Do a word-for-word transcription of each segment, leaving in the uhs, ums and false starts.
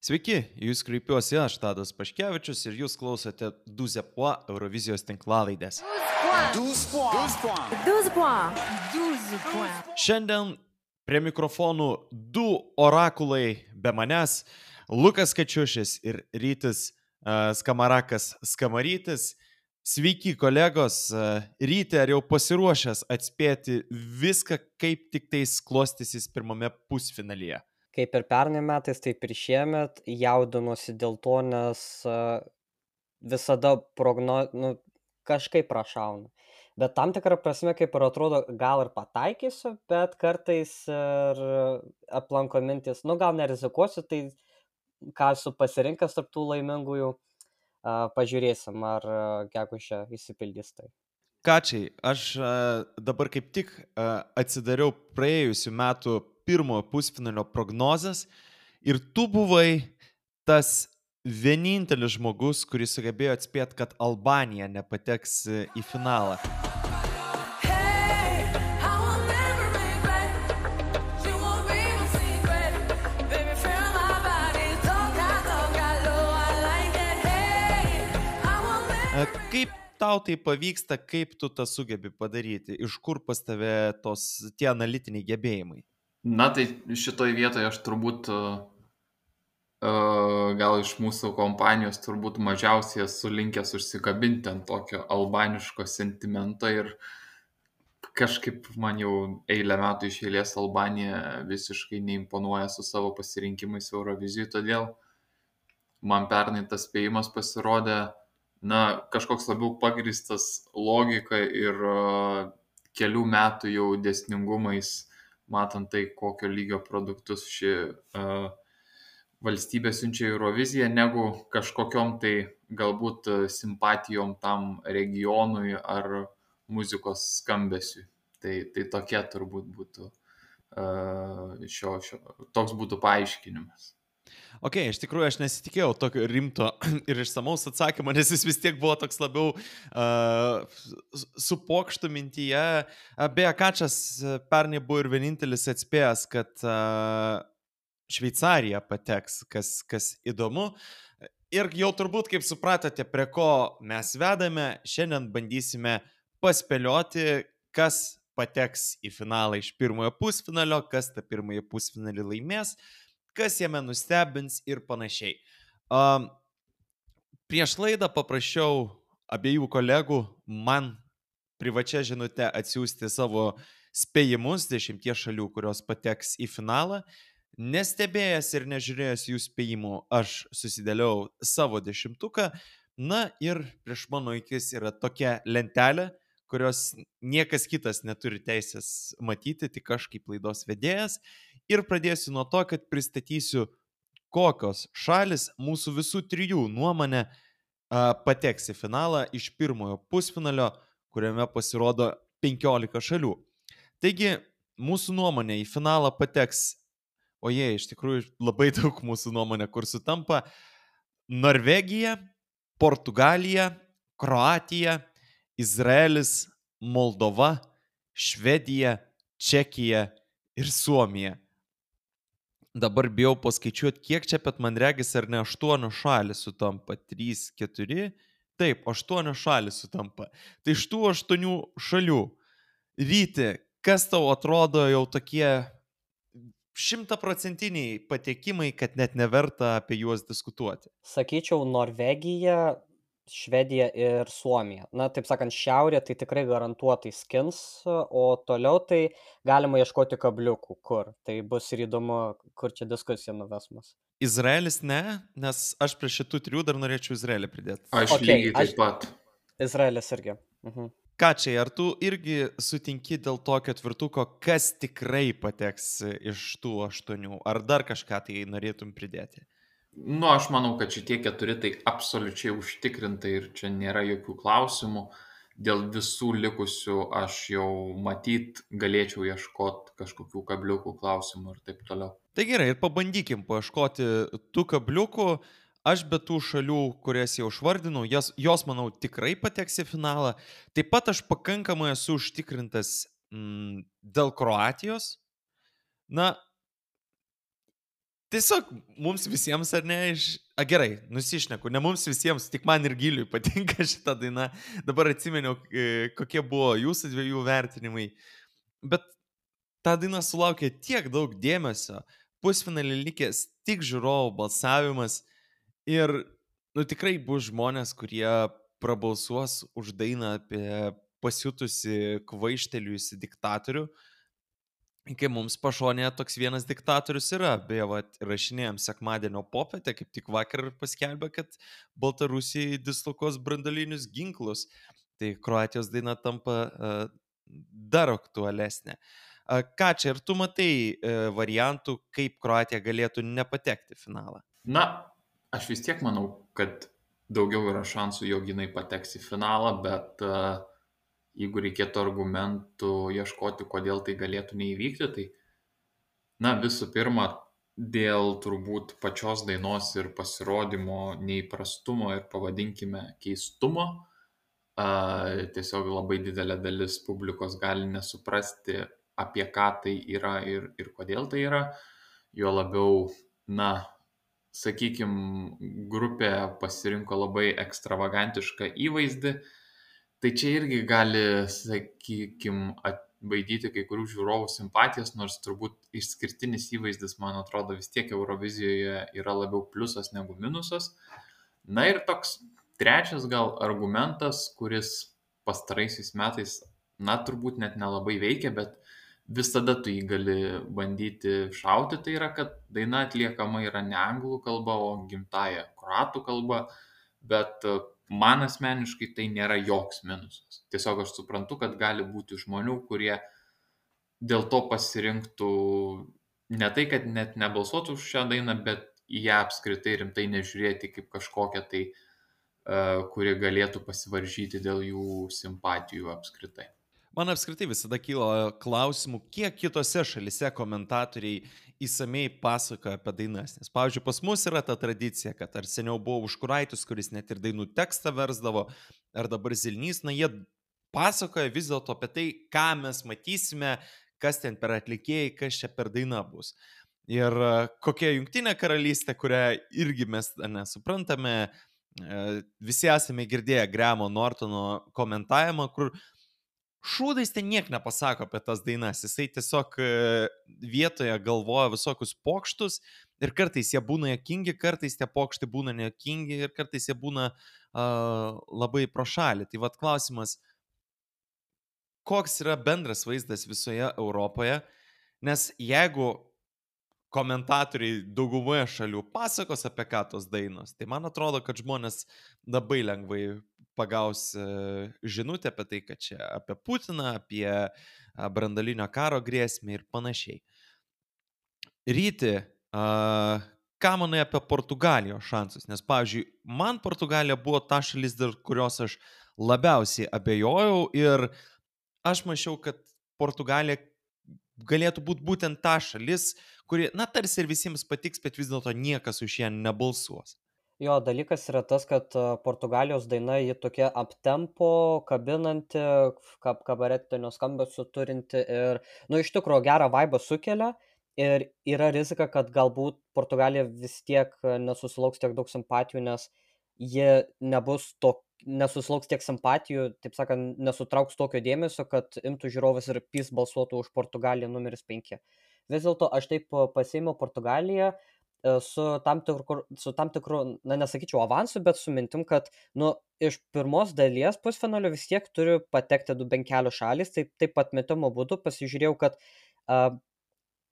Sveiki, į jūs kreipiuosi aš, Tadas Paškevičius, ir jūs klausote Duzepua Eurovizijos tinklalaidės. douze points. douze points. douze points. douze points. Šiandien prie mikrofonų du orakulai be manęs - Lukas Kačiušis ir Rytis uh, Skamarakas Skamarytis. Sveiki, kolegos. Uh, Ryti, ar jau pasiruošęs atspėti viską, kaip tik tais klostysis pirmame pusfinalyje? Kaip ir pernai metais, taip ir šiemet jaudinuosi dėl to, nes a, visada progno, nu, kažkaip prašauna. Bet tam tikrą prasme, kaip ir atrodo, gal ir pataikysiu, bet kartais ir aplanko mintis, nu gal nerizikuosiu, tai ką esu pasirinkęs tarp tų laimingųjų, a, pažiūrėsim, ar a, gegužę išsipildys tai. Kačiai, aš uh, dabar kaip tik uh, atsidariau praėjusių metų pirmojo pusfinalio prognozes ir tu buvai tas vienintelis žmogus, kuris sugebėjo atspėti, kad Albanija nepateks uh, į finalą. Uh, kaip tau tai pavyksta, kaip tu tą sugebi padaryti, iš kur pas tave tos tie analitiniai gebėjimai? Na tai šitoj vietoje aš turbūt uh, uh, gal iš mūsų kompanijos turbūt mažiausiai esu linkęs užsikabinti ant tokio albaniško sentimento ir kažkaip man jau eilę metų iš eilės Albanija visiškai neimponuoja su savo pasirinkimais Eurovizijai, todėl man pernai tas spėjimas pasirodė na, kažkoks labiau pagrįstas logika ir uh, kelių metų jau dėsningumais, matant tai, kokio lygio produktus ši uh, valstybė siunčia į Euroviziją, negu kažkokiom tai galbūt uh, simpatijom tam regionui ar muzikos skambesiui. Tai, tai tokia turbūt būtų uh, šio, šio, toks būtų paaiškinimas. Ok, iš tikrųjų aš nesitikėjau tokio rimto ir išsamaus atsakymo, nes jis vis tiek buvo toks labiau uh, su pokštu mintyje. Beje, Kačas pernai buvo ir vienintelis atspėjęs, kad uh, Šveicarija pateks, kas, kas įdomu. Ir jau turbūt, kaip supratote, prie ko mes vedame, šiandien bandysime paspėlioti, kas pateks į finalą iš pirmojo pusfinalio, kas tą pirmąjį pusfinalį laimės, kas jame nustebins ir panašiai. Um, prieš laidą paprašiau abiejų kolegų man privačia žinute atsiųsti savo spėjimus dešimties šalių, kurios pateks į finalą. Nestebėjęs ir nežiūrėjęs jų spėjimų, aš susidėliau savo dešimtuką. Na ir prieš mano akis yra tokia lentelė, kurios niekas kitas neturi teisės matyti, tik aš kaip laidos vedėjas. Ir pradėsiu nuo to, kad pristatysiu, kokios šalis mūsų visų trijų nuomonė a, pateks į finalą iš pirmojo pusfinalio, kuriame pasirodo penkiolika šalių. Taigi, mūsų nuomonė į finalą pateks, o jie iš tikrųjų labai daug mūsų nuomonė, kur sutampa, Norvegija, Portugalija, Kroatija, Izraelis, Moldova, Švedija, Čekija ir Suomija. Dabar bijau paskaičiuoti, kiek čia, bet man regis, ar ne aštuonios šalis sutampa. trys, keturi, taip, aštuonios šalis sutampa. Tai iš tų aštuonių šalių, Ryti, kas tau atrodo jau tokie šimtaprocentiniai patekimai, kad net neverta apie juos diskutuoti? Sakyčiau, Norvegija, Švedija ir Suomija. Na, taip sakant, šiaurė tai tikrai garantuotai skins, o toliau tai galima ieškoti kabliukų, kur. Tai bus ir įdomu, kur čia diskusija nuves mus. Izraelis ne, nes aš prie šitų trijų dar norėčiau Izraelį pridėti. Aš Ok, lygiai taip aš- pat. Izraelis irgi. Mhm. Kačiai, ar tu irgi sutinki dėl tokio tvirtuko, kas tikrai pateks iš tų aštuonių? Ar dar kažką tai norėtum pridėti? Nu, aš manau, kad šitie keturi tai absoliučiai užtikrintai ir čia nėra jokių klausimų. Dėl visų likusių aš jau matyt galėčiau ieškoti kažkokių kabliukų klausimų ir taip toliau. Tai gerai, ir pabandykim paieškoti tų kabliukų. Aš be tų šalių, kurias jau išvardinau, jos, jos manau, tikrai pateks į finalą. Taip pat aš pakankamai esu užtikrintas mm, dėl Kroatijos. Na, tiesiog mums visiems, ar ne, iš... A, gerai, nusišneku, ne mums visiems, tik man ir Giliui patinka šitą dainą. Dabar atsimeniau, e, kokie buvo jūsų dviejų vertinimai. Bet ta daina sulaukė tiek daug dėmesio, pusfinalį likęs tik žiūrovų balsavimas ir, nu, tikrai bus žmonės, kurie prabalsuos už dainą apie pasiutusi kvaišteliusi diktatorių. Kai mums pašonėje toks vienas diktatorius yra, beje, va, rašinėjom sekmadienio popietę, kaip tik vakar paskelbė, kad Baltarusijai dislokuos brandolinius ginklus. Tai Kroatijos daina tampa uh, dar aktualesnė. Uh, ką čia, ir tu matai uh, variantų, kaip Kroatija galėtų nepatekti į finalą? Na, aš vis tiek manau, kad daugiau yra šansų, jog jinai pateks į finalą, bet uh, jeigu reikėtų argumentų ieškoti, kodėl tai galėtų neįvykti, tai, na, visų pirma, dėl turbūt pačios dainos ir pasirodymo neįprastumo ir pavadinkime keistumo, a, tiesiog labai didelė dalis publikos gali nesuprasti, apie ką tai yra ir, ir kodėl tai yra. Jo labiau, na, sakykime, grupė pasirinko labai ekstravagantišką įvaizdį. Tai čia irgi gali, sakykime, atbaidyti kai kurių žiūrovų simpatijas, nors turbūt išskirtinis įvaizdis, man atrodo, vis tiek Eurovizijoje yra labiau pliusas negu minusas. Na ir toks trečias gal argumentas, kuris pastaraisiais metais, na, turbūt net nelabai veikia, bet visada tu jį gali bandyti šauti, tai yra, kad daina atliekama yra ne anglų kalba, o gimtaja kroatų kalba, bet man asmeniškai tai nėra joks minusas. Tiesiog aš suprantu, kad gali būti žmonių, kurie dėl to pasirinktų ne tai, kad net nebalsuotų už šią dainą, bet į ją apskritai rimtai nežiūrėti kaip kažkokią tai, uh, kuri galėtų pasivaržyti dėl jų simpatijų apskritai. Man apskritai visada kyla klausimų, kiek kitose šalise komentatoriai įsamei pasakoja apie dainas. Nes, pavyzdžiui, pas mus yra ta tradicija, kad ar seniau buvo Užkuraitis, kuris net ir dainų tekstą versdavo, ar dabar Zilnys, na jie pasakoja vis dėlto apie tai, ką mes matysime, kas ten per atlikėjai, kas čia per daina bus. Ir kokia Jungtinė karalystė, kurią irgi mes nesuprantame, visi esame girdėję Grahamo Nortono komentavimą, kur šūdais ten niek nepasako apie tas dainas, jisai tiesiog vietoje galvoja visokius pokštus ir kartais jie būna juokingi, kartais tie pokštai būna nejuokingi ir kartais jie būna uh, labai pro šalį. Tai vat klausimas, koks yra bendras vaizdas visoje Europoje, nes jeigu komentatoriai daugumoje šalių pasakos apie ką tos dainos, tai man atrodo, kad žmonės labai lengvai pagaus žinutę apie tai, kad čia apie Putiną, apie branduolinio karo grėsmę ir panašiai. Ryti, ką manai apie Portugalijos šansus? Nes, pavyzdžiui, man Portugalija buvo ta šalis, dėl kurios aš labiausiai abejojau ir aš mačiau, kad Portugalija galėtų būti būtent ta šalis, kuri, na, tarsi ir visiems patiks, bet vis dėlto niekas už ją nebalsuos. Jo, dalykas yra tas, kad Portugalijos daina ji tokia aptempo, kabinanti, kab, kabaretinio skambesio turinti ir, nu, iš tikrųjų gerą vaibą sukelia ir yra rizika, kad galbūt Portugalija vis tiek nesusilauks tiek daug simpatijų, nes jie nebus to, nesusilauks tiek simpatijų, taip sakant, nesutrauks tokio dėmesio, kad imtų žiūrovas ir pys balsuotų už Portugaliją numeris penki. Vis dėlto aš taip pasiėmiau Portugaliją su tam tikru, su tam tikru, na, nesakyčiau avansu, bet su mintim, kad, nu, iš pirmos dalies pusfinalio vis tiek turi patekti du bent kelios šalys, taip, taip atmetimo būdu pasižiūrėjau, kad uh,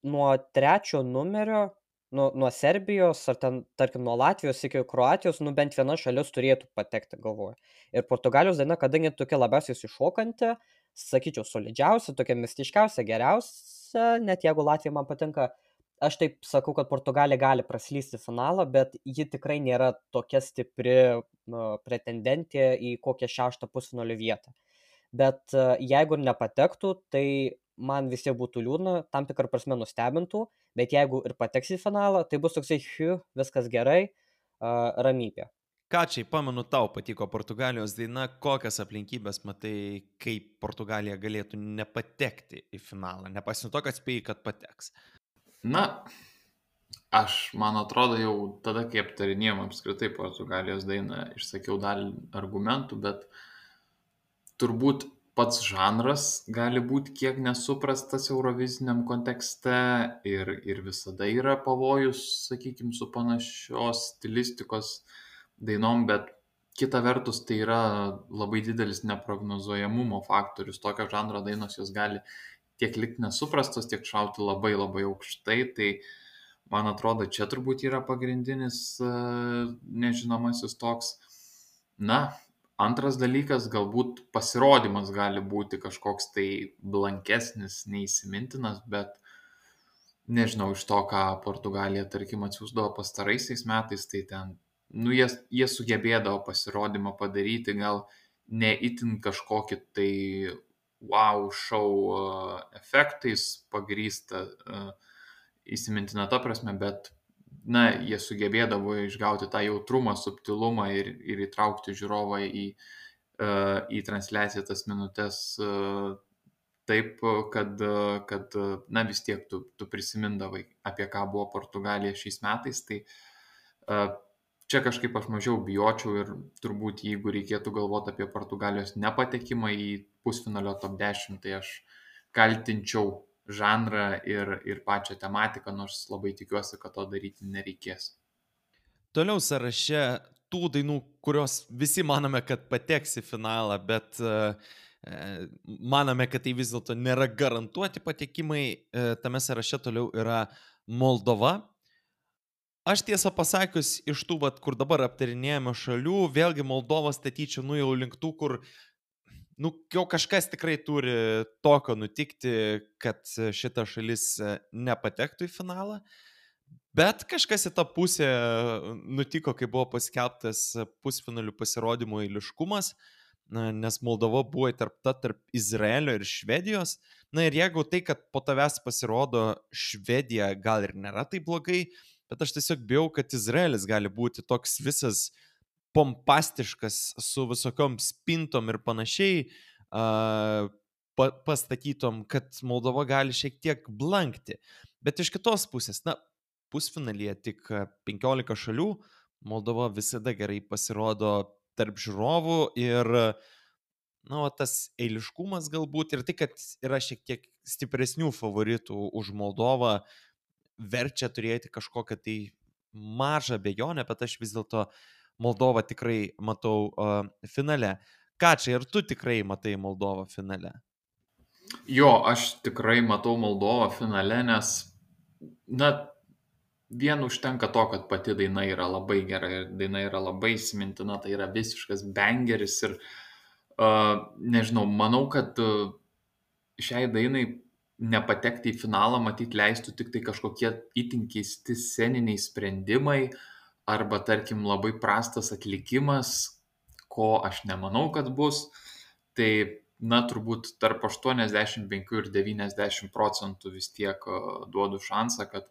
nuo trečio numerio, nu, nuo Serbijos ar ten, tarkim, nuo Latvijos iki Kroatijos, nu, bent viena šalis turėtų patekti, galvoju. Ir Portugalijos daina, kadangi tokia labiausiai iššokanti, sakyčiau, solidžiausia, tokia mistiškiausia, geriausia, net jeigu Latvija man patinka, aš taip sakau, kad Portugalija gali praslysti finalą, bet ji tikrai nėra tokia stipri nu, pretendentė į kokią šeštą pusfinalio vietą. Bet uh, jeigu nepatektų, tai man vis tiek būtų liūdna, tam tikrą prasme nustebintų, bet jeigu ir pateks į finalą, tai bus toksai, hiu, viskas gerai, uh, ramybė. Ką čia, pamenu, tau patiko Portugalijos daina, kokias aplinkybės matai, kaip Portugalija galėtų nepatekti į finalą, nepaisant to, kad spėjai, kad pateks? Na, Aš, man atrodo, jau tada, kai aptarinėjom apskritai Portugalijos dainą, išsakiau dalį argumentų, bet turbūt pats žanras gali būti kiek nesuprastas euroviziniam kontekste ir, ir visada yra pavojus, sakykime, su panašios stilistikos dainom, bet kita vertus tai yra labai didelis neprognozuojamumo faktorius. Tokio žanro dainos jos gali tiek likti nesuprastos, tiek šauti labai labai aukštai. Tai man atrodo, čia turbūt yra pagrindinis uh, nežinomasis toks. Na, antras dalykas, galbūt pasirodymas gali būti kažkoks tai blankesnis, neįsimintinas, bet nežinau, iš to, ką Portugalija, tarkim, atsiųsdavo pastaraisiais metais, tai ten, nu, jie, jie sugebėdavo pasirodymą padaryti, gal ne itin kažkokį tai wow šou uh, efektais pagrįsta uh, įsimintina ta prasme, bet na, jie sugebėdavo išgauti tą jautrumą, subtilumą ir, ir įtraukti žiūrovą į, uh, į transliaciją tas minutės uh, taip, kad, uh, kad uh, na vis tiek tu, tu prisimindavai, apie ką buvo Portugalija šiais metais. Tai uh, čia kažkaip aš mažiau bijočiau ir turbūt jeigu reikėtų galvoti apie Portugalijos nepatekimą į pusfinalio top dešimt, tai aš kaltinčiau žanrą ir, ir pačią tematiką, nors labai tikiuosi, kad to daryti nereikės. Toliau sąraše tų dainų, kurios visi manome, kad pateks į finalą, bet uh, manome, kad tai vis dėlto nėra garantuoti patekimai, uh, tame sąraše toliau yra Moldova. Aš tiesą pasakius, iš tų, vat, kur dabar aptarinėjame šalių, vėlgi Moldovą statyčiau nu jau link tų, kur nu, jau kažkas tikrai turi tokio nutikti, kad šita šalis nepatektų į finalą, bet kažkas į tą pusę nutiko, kai buvo paskelbtas pusfinalių pasirodymų eiliškumas, nes Moldova buvo įtarpta tarp Izraelio ir Švedijos. Na ir jeigu tai, kad po tavęs pasirodo Švedija, gal ir nėra tai blogai, bet aš tiesiog bijau, kad Izraelis gali būti toks visas pompastiškas su visokiom spintom ir panašiai uh, pa, pastatytom, kad Moldova gali šiek tiek blankti. Bet iš kitos pusės, na, pusfinalyje tik penkiolika šalių, Moldova visada gerai pasirodo tarp žiūrovų ir na, tas eiliškumas galbūt ir tai, kad yra šiek tiek stipresnių favoritų už Moldovą, verčia turėti kažkokią tai mažą abejonę, bet aš vis dėlto Moldovą tikrai matau uh, finale. Kačai, ar tu tikrai matai Moldovą finale? Jo, aš tikrai matau Moldovą finale, nes, na, vien užtenka to, kad pati daina yra labai gera ir daina yra labai įsimintina, tai yra visiškas bangeris ir, uh, nežinau, manau, kad uh, šiai dainai nepatekti į finalą, matyt, leistų tik tai kažkokie itin keisti sceniniai sprendimai, arba, tarkim, labai prastas atlikimas, ko aš nemanau, kad bus. Tai, na, turbūt tarp aštuoniasdešimt penki ir devyniasdešimt procentų vis tiek duodu šansą, kad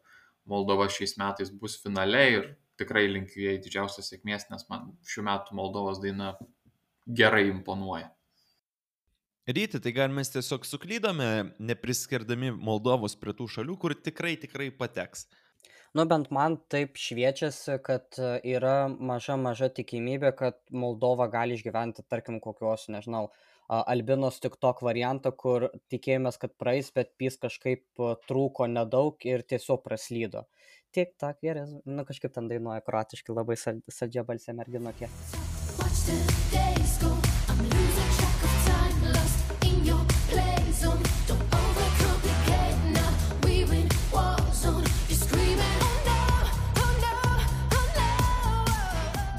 Moldova šiais metais bus finale ir tikrai linkiu jai didžiausios sėkmės, nes man šių metų Moldovos daina gerai imponuoja. Ryti, tai gal mes tiesiog suklydome, nepriskirdami Moldovos prie tų šalių, kur tikrai, tikrai pateks. Nu, bent man taip šviečiasi, kad yra maža, maža tikimybė, kad Moldova gali išgyventi, tarkim, kokios, nežinau, Albinos TikTok variantą, kur tikėjomės, kad praeis, bet pys kažkaip trūko nedaug ir tiesiog praslydo. Tik tak, gerai, nu kažkaip ten dainuoja kroatiškai, labai saldžia balsė merginokė.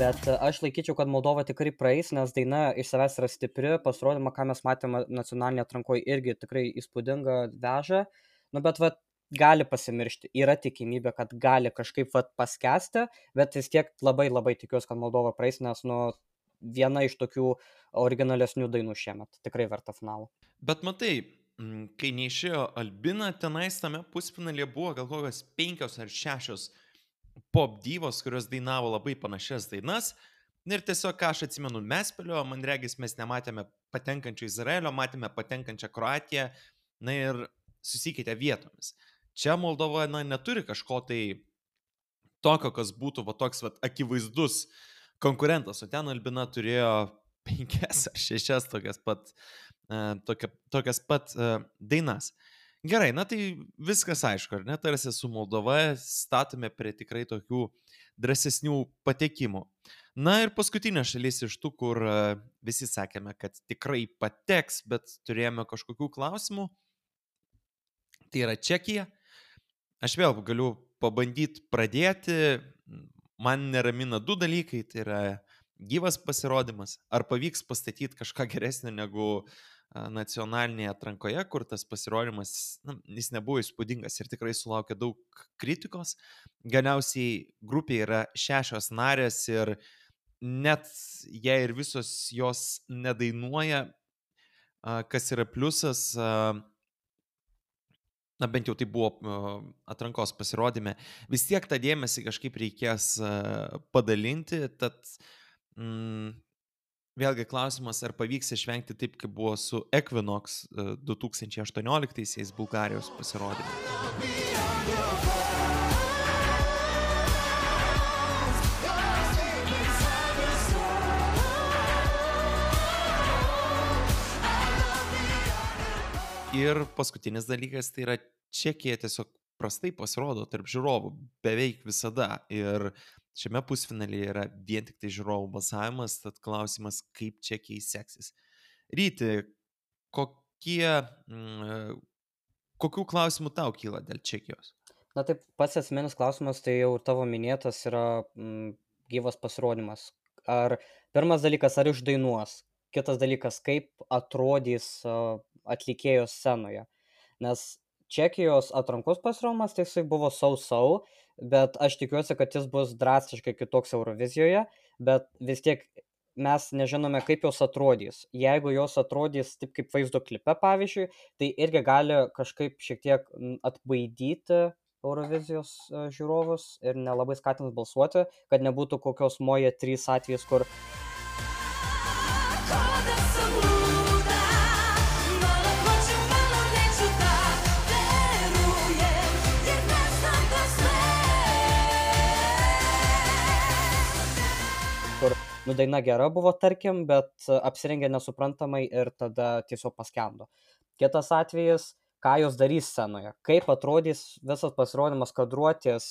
Bet aš laikyčiau, kad Moldova tikrai praeis, nes daina iš savęs yra stipri, pasirodymą, ką mes matėme nacionalinėje atrankoje, irgi tikrai įspūdinga veža, nu bet vat gali pasimiršti, yra tikimybė, kad gali kažkaip vat paskesti, bet vis tiek labai labai tikiuosi, kad Moldova praeis, nes nu viena iš tokių originalesnių dainų šiemet, tikrai verta finalo. Bet matai, kai neišėjo Albina, tenais tame pusfinalyje buvo gal kokios penkios ar šešios pop divos, kurios dainavo labai panašias dainas. Ir tiesiog, ką aš atsimenu, mes spėliojom, man regis, mes nematėme patenkančio Izraelio, matėme patenkančią Kroatiją, na ir susikeitė vietomis. Čia Moldova, na, neturi kažko tai tokio, kas būtų va toks va akivaizdus konkurentas, o ten Albina turėjo penkias ar šešias tokias pat, uh, tokia, tokias pat uh, dainas. Gerai, na tai viskas aišku, ar ne, tarsi su Moldova statome prie tikrai tokių drąsesnių patekimų. Na ir paskutinė šalis iš tų, kur uh, visi sakėme, kad tikrai pateks, bet turėjome kažkokių klausimų, tai yra Čekija. Aš vėl galiu pabandyti pradėti, man neramina du dalykai, tai yra gyvas pasirodymas, ar pavyks pastatyti kažką geresnio negu nacionalinėje atrankoje, kur tas pasirodymas, na, jis nebuvo įspūdingas ir tikrai sulaukė daug kritikos. Galiausiai grupė yra šešios narės ir net jei ir visos jos nedainuoja, kas yra pliusas, na bent jau tai buvo atrankos pasirodyme, vis tiek tą dėmesį kažkaip reikės padalinti, tad mm, vėlgi klausimas, ar pavyks išvengti taip, kaip buvo su Equinox du tūkstančiai aštuonioliktaisiais Bulgarijos pasirodyme. Ir paskutinis dalykas, tai yra Čekija tiesiog prastai pasirodo tarp žiūrovų beveik visada. Ir šiame pusfinalyje yra vien tik tai žiūrovų balsavimas, tad klausimas, kaip Čekijai seksis. Ryti, kokie, mm, kokių klausimų tau kyla dėl Čekijos? Na taip, pats esminis klausimas, tai jau tavo minėtas yra mm, gyvas pasirodymas. Ar pirmas dalykas, ar išdainuos? Kitas dalykas, kaip atrodys uh, atlikėjos scenoje. Nes Čekijos atrankos pasirodymas tai jisai buvo sau-sau, bet aš tikiuosi, kad jis bus drastiškai kitoks Eurovizijoje, bet vis tiek mes nežinome, kaip jos atrodys. Jeigu jos atrodys taip kaip vaizdo klipe, pavyzdžiui, tai irgi gali kažkaip šiek tiek atbaidyti Eurovizijos žiūrovus ir nelabai skatins balsuoti, kad nebūtų kokios Moje trys atvejais, kur kur nu, daina gera buvo, tarkim, bet apsirengė nesuprantamai ir tada tiesiog paskendo. Kitas atvejis, ką jos darys scenoje, kaip atrodys visas pasirodymas, kadruotės,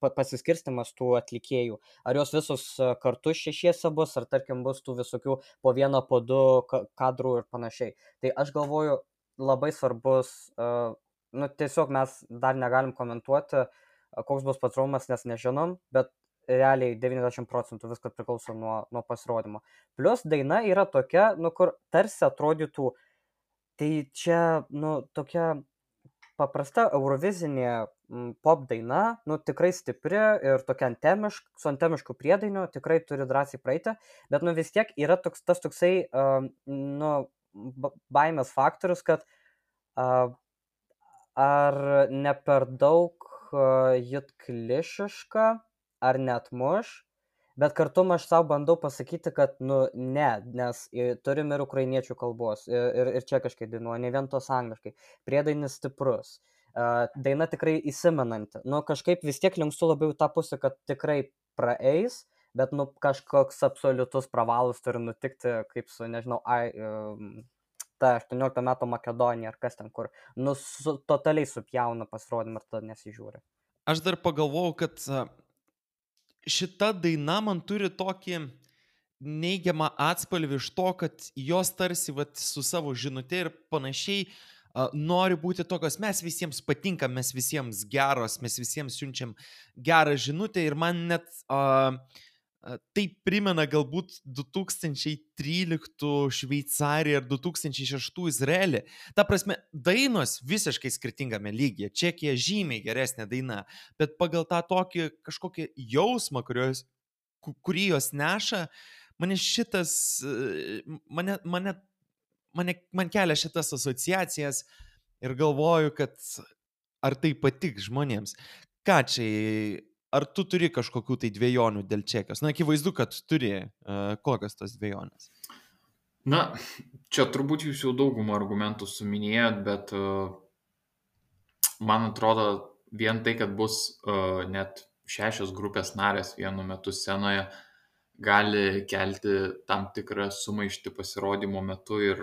pasiskirstimas tų atlikėjų, ar jos visos kartu šešiese bus, ar tarkim bus tų visokių po vieną, po du kadrų ir panašiai. Tai aš galvoju, labai svarbus, nu tiesiog mes dar negalim komentuoti, koks bus pasirodymas, nes nežinom, bet realiai devyniasdešimt procentų viskas priklauso nuo, nuo pasirodymo. Plius daina yra tokia, nu kur tarsi atrodytų, tai čia, nu, tokia paprasta eurovizinė m, pop daina, nu, tikrai stipri ir tokia antemišk, su antemišku priedainiu, tikrai turi drąsiai praeiti, bet, nu, vis tiek yra toks, tas toksai, uh, nu, baimės faktorius, kad uh, ar ne per daug uh, jit klišiška, ar net muš, bet kartu aš savo bandau pasakyti, kad nu ne, nes turim ir ukrainiečių kalbos, ir, ir čekiškai dainuoja, ne vien tos angliškai, priedainis stiprus, daina tikrai įsimenanti, nu kažkaip vis tiek linkstu labiau tą pusę, kad tikrai praeis, bet nu kažkoks absoliutus pravalas turi nutikti, kaip su, nežinau, ai, ta aštuonioliktų metų Makedonija, ar kas ten kur, nu su, totaliai supjauna pasirodymą ir tada nesižiūri. Aš dar pagalvojau, kad šita daina man turi tokį neigiamą atspalvį iš to, kad jos tarsi vat, su savo žinute ir panašiai uh, nori būti tokios, mes visiems patinkam, mes visiems geros, mes visiems siunčiam gerą žinutę ir man net uh, tai primena galbūt du tūkstančiai tryliktų Šveicariją ir du tūkstančiai šeštų Izraelį. Ta prasme, dainos visiškai skirtingame lygyje. Čekija žymiai geresnė daina, bet pagal tą tokį kažkokį jausmą, kurios, kurį jos neša, mane šitas, mane, mane, mane, man kelia šitas asociacijas ir galvoju, kad ar tai patiks žmonėms. Ką čia... Ar tu turi kažkokių tai dvejonių dėl Čekijos? Na, akivaizdu, kad turi. Uh, kokios tos dvejonės? Na, čia turbūt jūs jau daugumą argumentų suminėjot, bet uh, man atrodo vien tai, kad bus uh, net šešios grupės narės vienu metu scenoje gali kelti tam tikrą sumaištį pasirodymo metu ir,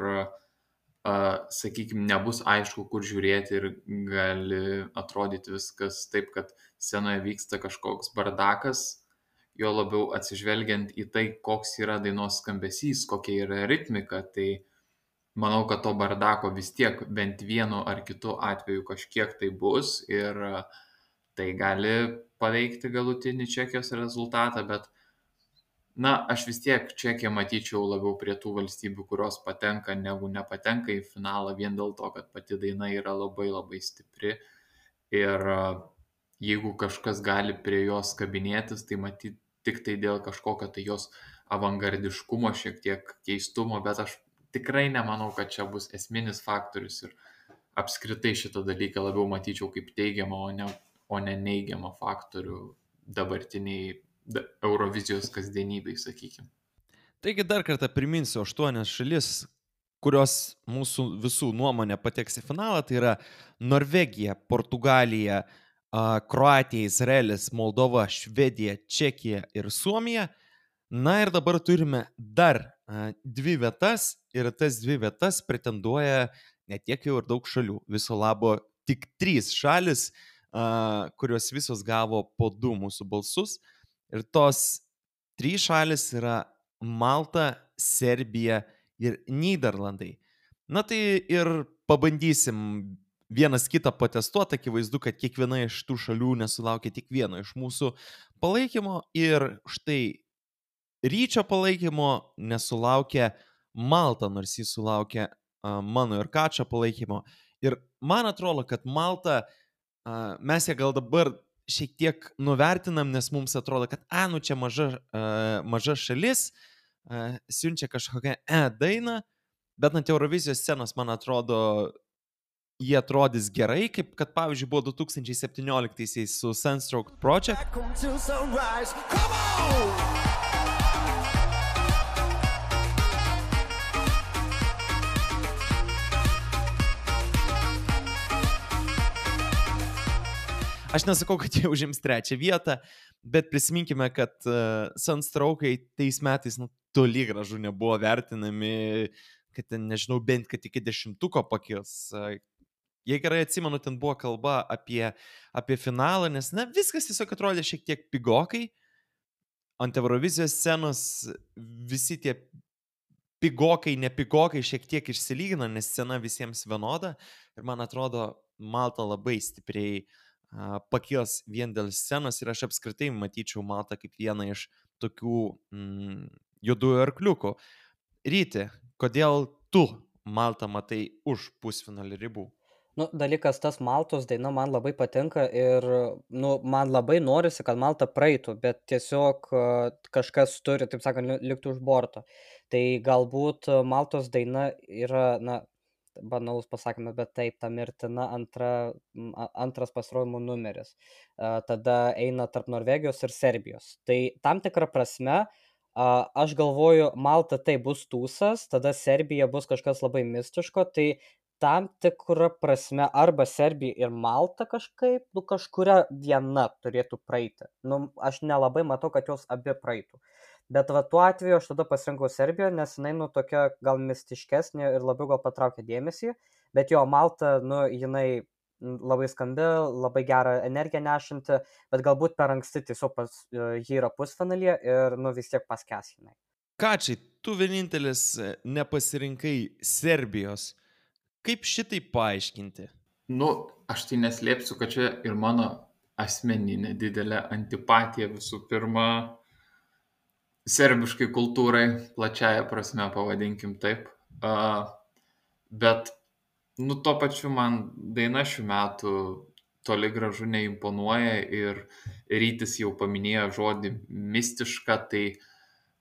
sakykime, nebus aišku, kur žiūrėti ir gali atrodyti viskas taip, kad scenoje vyksta kažkoks bardakas, jo labiau atsižvelgiant į tai, koks yra dainos skambesys, kokia yra ritmika, tai manau, kad to bardako vis tiek bent vienu ar kitu atveju kažkiek tai bus ir tai gali paveikti galutinį Čekijos rezultatą, bet na, aš vis tiek Čekiją matyčiau labiau prie tų valstybių, kurios patenka, negu nepatenka į finalą, vien dėl to, kad pati daina yra labai labai stipri ir jeigu kažkas gali prie jos kabinėtis, tai matyti tik tai dėl kažkokio tai jos avangardiškumo, šiek tiek keistumo, bet aš tikrai nemanau, kad čia bus esminis faktorius ir apskritai šitą dalyką labiau matyčiau kaip teigiamą, o ne, o ne neigiamą faktorių dabartiniai Eurovizijos kasdienybei, sakykime. Taigi dar kartą priminsiu aštuonias šalis, kurios mūsų visų nuomonė pateks į finalą, tai yra Norvegija, Portugalija, Kroatija, Izraelis, Moldova, Švedija, Čekija ir Suomija. Na ir dabar turime dar dvi vietas ir tas dvi vietas pretenduoja ne tiek jau ir daug šalių. Viso labo tik trys šalis, kurios visos gavo po du mūsų balsus. Ir tos trys šalis yra Malta, Serbija ir Nyderlandai. Na tai ir pabandysim vienas kitą patestuoti, akivaizdu, kad kiekviena iš tų šalių nesulaukia tik vieno iš mūsų palaikymo ir štai Ryčio palaikymo nesulaukia Malta, nors jis sulaukia uh, mano ir Kačio palaikymo. Ir man atrodo, kad Malta, uh, mes ją gal dabar šiek tiek nuvertinam, nes mums atrodo, kad a, nu čia maža, uh, maža šalis, uh, siunčia kažkokią e dainą, bet ant Eurovizijos scenos, man atrodo, jie atrodys gerai, kaip kad pavyzdžiui buvo du tūkstančiai septynioliktaisiais su Sunstroke Project. Aš nesakau, kad jie užims trečią vietą, bet prisiminkime, kad uh, Sunstroke'ai tais metais nu, toli gražu nebuvo vertinami, kad ten, nežinau, bent kad iki dešimtuko pakils. Uh, jei gerai atsimenu, ten buvo kalba apie, apie finalą, nes na, viskas tiesiog atrodė šiek tiek pigokai. Ant Eurovizijos scenos visi tie pigokai, nepigokai šiek tiek išsilygina, nes scena visiems vienoda. Ir man atrodo, Malta labai stipriai pakils vien dėl scenos ir aš apskritai matyčiau Maltą kaip vieną iš tokių mm, juodųjų arkliukų. Ryti, kodėl tu Maltą matai už pusfinalio ribų? Nu, dalykas tas Maltos daina man labai patinka ir nu, man labai norisi, kad Malta praeitų, bet tiesiog kažkas turi, taip sakant, likti už borto. Tai galbūt Maltos daina yra, na, banalus pasakymas, bet taip, ta mirtina antra, antras pasirodymų numeris. Tada eina tarp Norvegijos ir Serbijos. Tai tam tikrą prasme, aš galvoju, Malta tai bus tūsas, tada Serbija bus kažkas labai mistiško, tai tam tikrą prasme arba Serbija ir Malta kažkaip, nu kažkuria viena turėtų praeiti. Nu, aš nelabai matau, kad jos abi praeitų. Bet va tuo atveju aš tada pasirinkau Serbiją, nes jinai nu tokia gal mistiškesnė ir labiau gal patraukia dėmesį, bet jo Malta, nu jinai labai skambi, labai gerą energiją nešanti, bet galbūt per anksti tiesiog pas, ji yra pusfinalyje ir nu vis tiek paskęs jinai. Kačiai, tu vienintelis nepasirinkai Serbijos. Kaip šitai paaiškinti? Nu, aš tai neslėpsiu, kad čia ir mano asmeninė didelė antipatija visų pirma serbiškai kultūrai, plačiaja prasme pavadinkim taip. Uh, bet, nu, tuo pačiu man daina šių metų toli gražu neimponuoja ir Rytis jau paminėjo žodį mistiška, tai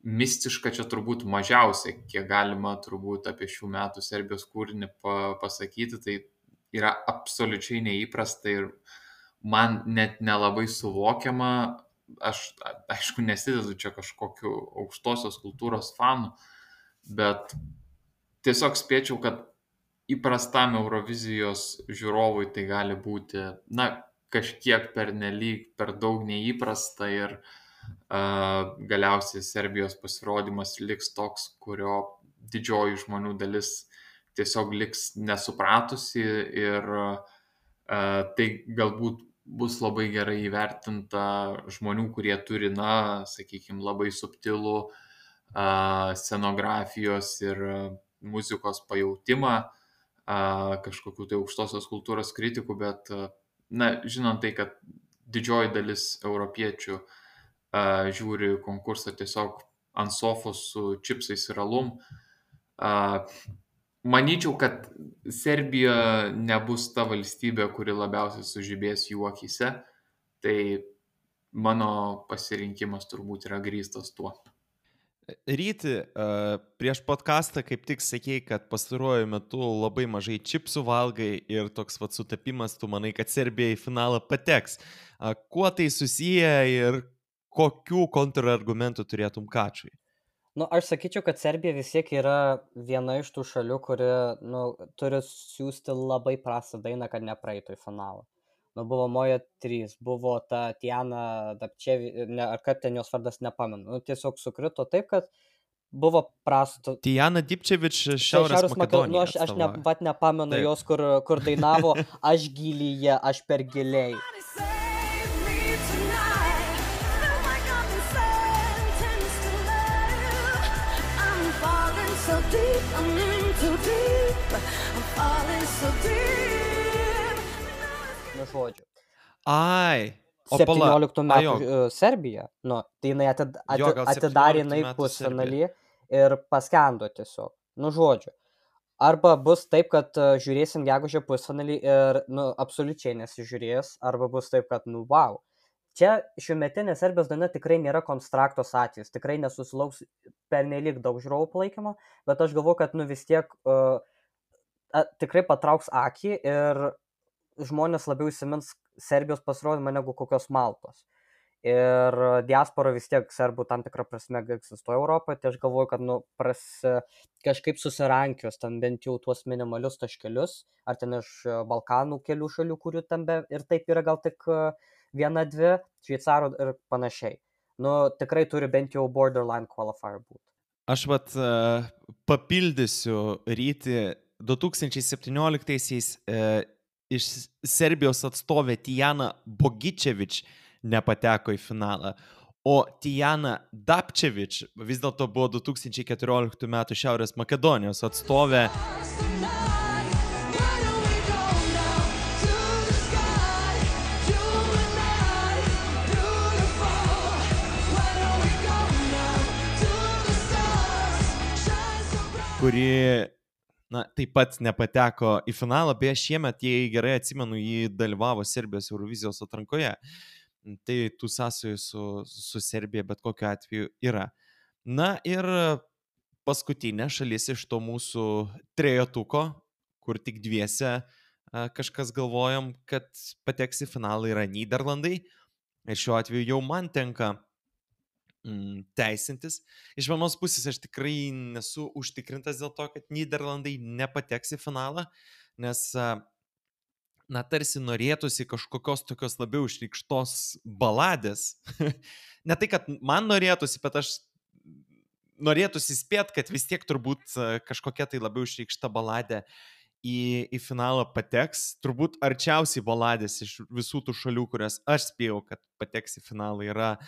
mistiška čia turbūt mažiausiai, kiek galima turbūt apie šių metų Serbijos kūrinį pa- pasakyti, tai yra absoliučiai neįprasta ir man net nelabai suvokiama. Aš, aišku, nesidedu čia kažkokiu aukštosios kultūros fanu, bet tiesiog spėčiau, kad įprastam Eurovizijos žiūrovui tai gali būti, na, kažkiek pernelyg per daug neįprasta ir uh, galiausiai Serbijos pasirodymas liks toks, kurio didžioji žmonių dalis tiesiog liks nesupratusi ir uh, tai galbūt bus labai gerai įvertinta žmonių, kurie turi, na, sakykime, labai subtilų uh, scenografijos ir muzikos pajautimą, uh, kažkokių tai aukštosios kultūros kritikų, bet, uh, na, žinant tai, kad didžioji dalis europiečių uh, žiūri konkursą tiesiog ant sofos su čipsais ir alum, uh, manyčiau, kad Serbija nebus ta valstybė, kuri labiausiai sužibės jų akyse, tai mano pasirinkimas turbūt yra grįstas tuo. Ryti, prieš podcastą kaip tik sakei, kad pastaruoju metu labai mažai čipsų valgai ir toks vat sutapimas, tu manai, kad Serbija į finalą pateks. Kuo tai susiję ir kokių kontrargumentų turėtum Kačui? Nu, aš sakyčiau, kad Serbija vis tiek yra viena iš tų šalių, kuri, nu, turi siūsti labai prastą dainą, kad nepraeitų į finalą. Nu, buvo Moja trys, buvo ta Tiana Dapčevi, ne, ar kad ten jos vardas nepamenu. Nu, tiesiog sukrito taip, kad buvo prastų. Tiana Dipčevič Šiaurės, Šiaurės Makedonija. Nu, aš, aš ne, vat nepamenu taip. Jos, kur, kur dainavo aš gilyje, aš per giliai. So deep, I'm in too deep, I'm falling so deep. Nu, žodžiu. Ai, o septynioliktų metų uh, Serbija, nu, tai jinai atid, atid, jo, atidarė jinai pusfinalį ir paskendo tiesiog. Nu, žodžiu. Arba bus taip, kad uh, žiūrėsim gegužę pusfinalį ir, nu, absoliučiai nesižiūrės, arba bus taip, kad, nu, wow. Čia šiuometinė Serbijos daina tikrai nėra konstraktos atvejis, tikrai nesusilauks pernelyg daug žiūrovų palaikymo, bet aš galvoju, kad nu vis tiek uh, a, tikrai patrauks akį ir žmonės labiau įsimins Serbijos pasirodymą negu kokios Maltos. Ir diaspora vis tiek serbų tam tikrą prasme egzistuoja Europoje, tai aš galvoju, kad nu, pras, kažkaip susirankios ten bent jau tuos minimalius taškelius, ar ten iš Balkanų kelių šalių, kurių ten be, ir taip yra gal tik viena, dvi, šveicarų ir panašiai. Nu, tikrai turi bent jau borderline qualifier būti. Aš vat uh, papildysiu Ryti, du tūkstančiai septynioliktaisiais uh, iš Serbijos atstovė Tijana Bogičevič nepateko į finalą, o Tijana Dapčevič vis dėlto buvo du tūkstančiai keturioliktų metų Šiaurės Makedonijos atstovė. Kuri, na, taip pat nepateko į finalą, beje, šiemet, jei gerai atsimenu, jį dalyvavo Serbijos Eurovizijos atrankoje. Tai tų sąsajų su, su Serbija bet kokiu atveju yra. Na ir paskutinė šalis iš to mūsų trejetuko, kur tik dviese kažkas galvojom, kad pateks į finalą, yra Nyderlandai. Ir šiuo atveju jau man tenka teisintis. Iš vienos pusės aš tikrai nesu užtikrintas dėl to, kad Nyderlandai nepateks į finalą, nes, na, tarsi norėtųsi kažkokios tokios labiau išreikštos baladės. Ne tai, kad man norėtųsi, bet aš norėtųsi spėt, kad vis tiek turbūt kažkokia tai labiau išreikšta baladė į, į finalą pateks. Turbūt arčiausiai baladės iš visų tų šalių, kurias aš spėjau, kad pateks į finalą, yra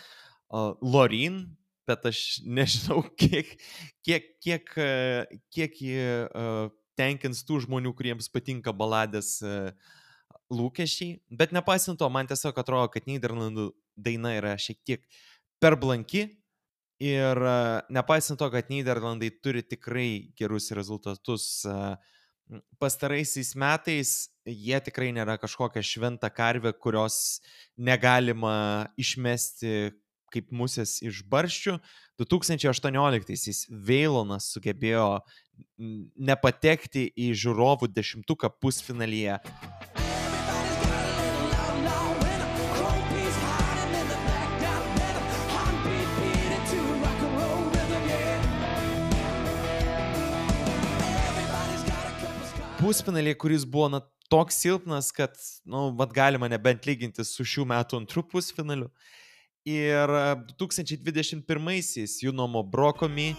Uh, Loreen, bet aš nežinau, kiek, kiek, kiek, kiek jį uh, tenkins tų žmonių, kuriems patinka baladės uh, lūkesčiai. Bet nepaisant to, man tiesiog atrodo, kad Nyderlandų daina yra šiek tiek per blanki ir uh, nepaisant to, kad Nyderlandai turi tikrai gerus rezultatus uh, pastaraisiais metais, jie tikrai nėra kažkokia šventa karvė, kurios negalima išmesti kaip musės iš barščių. du tūkstančiai aštuonioliktaisiais Veilonas sugebėjo nepatekti į žiūrovų dešimtuką pusfinalyje. Pusfinalį, kuris buvo na, toks silpnas, kad, nu, vat galima nebent lyginti su šių metų antrų pusfinaliu. Ir du tūkstančiai dvidešimt pirmaisiais Junomo Brokomi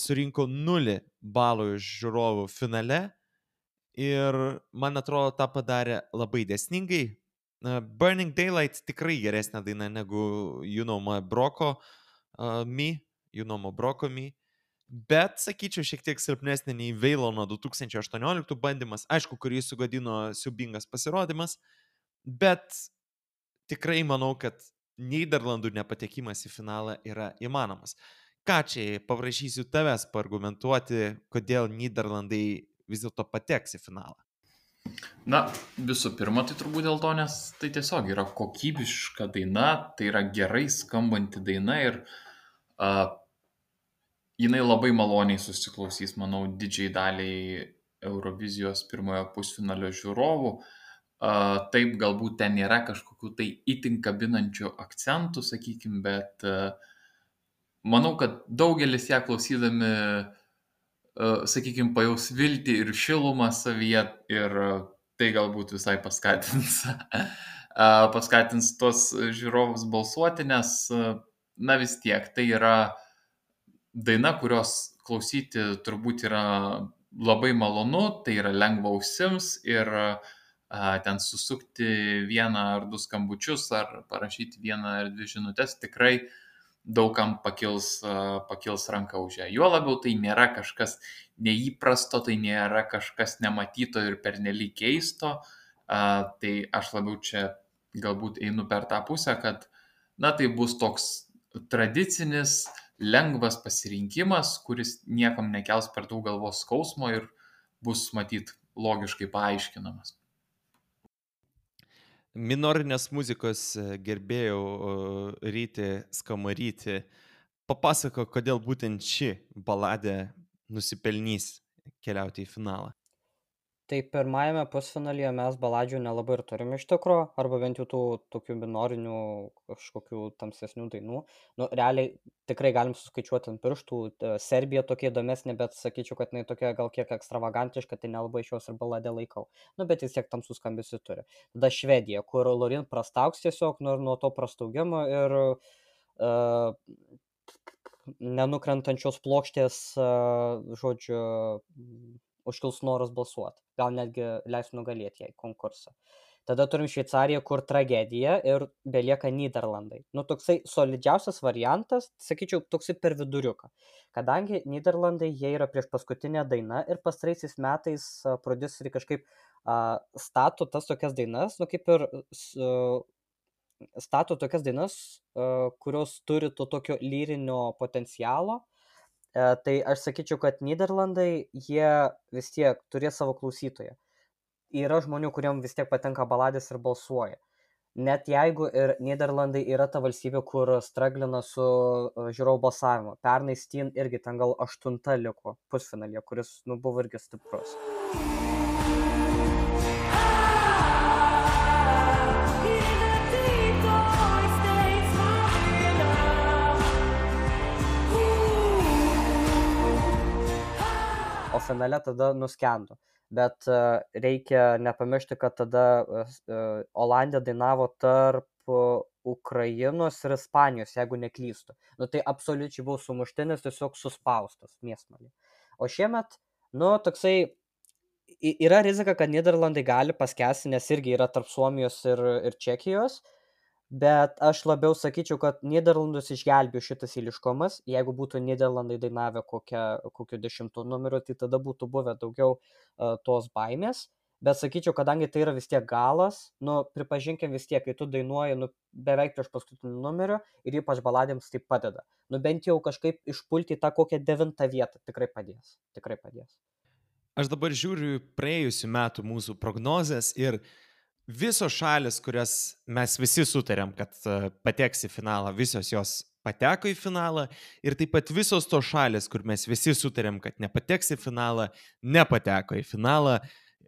surinko nulį balų iš žiūrovų finale ir, man atrodo, tą padarė labai dėsningai. Burning Daylight tikrai geresnė daina negu Junomo Broko uh, Mi, Junomo Broko Mi, bet, sakyčiau, šiek tiek silpnesnė nei Veilono du tūkstančiai aštuonioliktų bandymas, aišku, kurį sugadino siubingas pasirodymas, bet tikrai manau, kad Nyderlandų nepatekimas į finalą yra įmanomas. Ką čia, paprašysiu tavęs paargumentuoti, kodėl Nyderlandai vis dėlto pateks į finalą. Na, visų pirma, tai turbūt dėl to, nes tai tiesiog yra kokybiška daina, tai yra gerai skambanti daina ir uh, jinai labai maloniai susiklausys, manau, didžiai daliai Eurovizijos pirmojo pusfinalio žiūrovų. Uh, taip, galbūt ten nėra kažkokių tai itin kabinančių akcentų, sakykime, bet uh, manau, kad daugelis ją klausydami, uh, sakykime, pajaus viltį ir šilumą savyje ir uh, tai galbūt visai paskatins, uh, paskatins tos žiūrovus balsuoti, nes, uh, na vis tiek, tai yra daina, kurios klausyti turbūt yra labai malonu, tai yra lengva ausims ir uh, ten susukti vieną ar du skambučius ar parašyti vieną ar dvi žinutės tikrai daugam pakils, pakils ranką už ją. Juo labiau tai nėra kažkas neįprasto, tai nėra kažkas nematyto ir pernelyg keisto. Tai aš labiau čia galbūt einu per tą pusę, kad na, tai bus toks tradicinis, lengvas pasirinkimas, kuris niekam nekels per daug galvos skausmo ir bus matyt logiškai paaiškinamas. Minorinės muzikos gerbėjų Ryti Skamaryti papasako, kodėl būtent ši baladė nusipelnys keliauti į finalą. Tai pirmajame pusfinalyje mes baladžių nelabai ir turime iš tikro, arba bent jau tų tokių minorinių kažkokių tamsesnių dainų. Nu, realiai tikrai galim suskaičiuoti ant pirštų. Serbija tokia įdomesnė, bet sakyčiau, kad jinai tokia gal kiek ekstravagantiška, tai nelabai iš jos ir baladę laikau. Nu, bet vis tiek tamsus skambesį turi. Tada Švedija, kur Lorin prastauks tiesiog nu, nuo to prastaugimo ir uh, nenukrentančios plokštės, uh, žodžiu, užkils noras balsuoti. Gal netgi leis nugalėti jai konkursą. Tada turim Šveicariją, kur tragedija ir belieka Nyderlandai. Nu, toksai solidžiausias variantas, sakyčiau, toksai per viduriuką. Kadangi Nyderlandai, jie yra prieš paskutinę dainą ir pastaraisiais metais uh, prodiuseriai kažkaip uh, stato tas tokias dainas, nu kaip ir uh, stato tokias dainas, uh, kurios turi to tokio lyrinio potencialo. Uh, tai aš sakyčiau, kad Nyderlandai, jie vis tiek turės savo klausytoją. Yra žmonių, kuriem vis tiek patenka baladės ir balsuoja. Net jeigu ir Nyderlandai yra ta valstybė, kur straglina su uh, žiūrovų balsavimu. Pernai Steen irgi ten gal aštunta liko pusfinalyje, kuris nu, buvo irgi stiprus. O finale tada nuskendo. Bet uh, reikia nepamiršti, kad tada uh, Olandija dainavo tarp uh, Ukrainos ir Ispanijos, jeigu neklystu. Nu tai absoliučiai buvo sumuštinis, tiesiog suspaustas mėsmalį. O šiemet, nu toksai, yra rizika, kad Nyderlandai gali paskęsti, nes irgi yra tarp Suomijos ir, ir Čekijos. Bet aš labiau sakyčiau, kad Nyderlandus išgelbėjo šitas eiliškumas. Jeigu būtų Nyderlandai dainavę kokią, kokiu dešimtų numeriu, tai tada būtų buvę daugiau uh, tos baimės. Bet sakyčiau, kadangi tai yra vis tiek galas, nu, pripažinkim vis tiek, kai tu dainuoji nu, beveik prieš paskutinį numeriu ir ypač baladėms tai padeda. Nu, bent jau kažkaip išpulti tą kokią devintą vietą tikrai padės. Tikrai padės. Aš dabar žiūriu praėjusių metų mūsų prognozes ir visos šalis, kurias mes visi sutarėm, kad pateks į finalą, visos jos pateko į finalą ir taip pat visos tos šalis, kur mes visi sutarėm, kad nepateks į finalą, nepateko į finalą.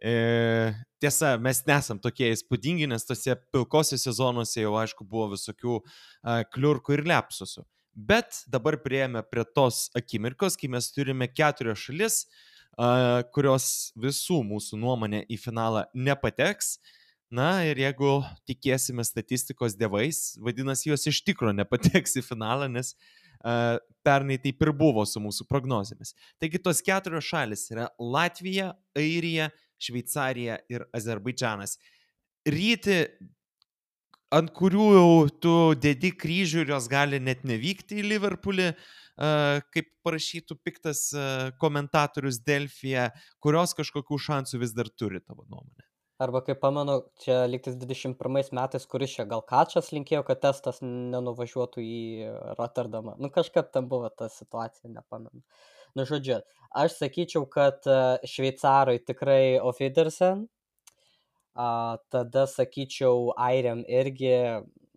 E, tiesa, mes nesam tokie įspūdingi, nes tose pilkosiuose zonuose jau aišku buvo visokių a, kliurkų ir lepsusų. Bet dabar prieėmė prie tos akimirkos, kai mes turime keturias šalis, a, kurios visų mūsų nuomonė į finalą nepateks. Na ir jeigu tikėsime statistikos dievais, vadinasi, jos iš tikro nepateks į finalą, nes uh, pernai taip ir buvo su mūsų prognozėmis. Taigi tos keturios šalis yra Latvija, Airija, Šveicarija ir Azerbaidžanas. Ryti, ant kurių jau tu dedi kryžių ir jos gali net nevykti į Liverpoolį, uh, kaip parašytų piktas uh, komentatorius Delfyje, kurios kažkokių šansų vis dar turi tavo nuomonė. Arba kaip pamenu, čia liktis dvidešimt pirmais metais, kuris čia gal Kačas linkėjo, kad testas nenuvažiuotų į Rotterdamą. Nu kažkaip tam buvo ta situacija, nepamenu. Nu žodžiu, aš sakyčiau, kad šveicarai tikrai auf Wiedersehen, a, tada sakyčiau airiam irgi,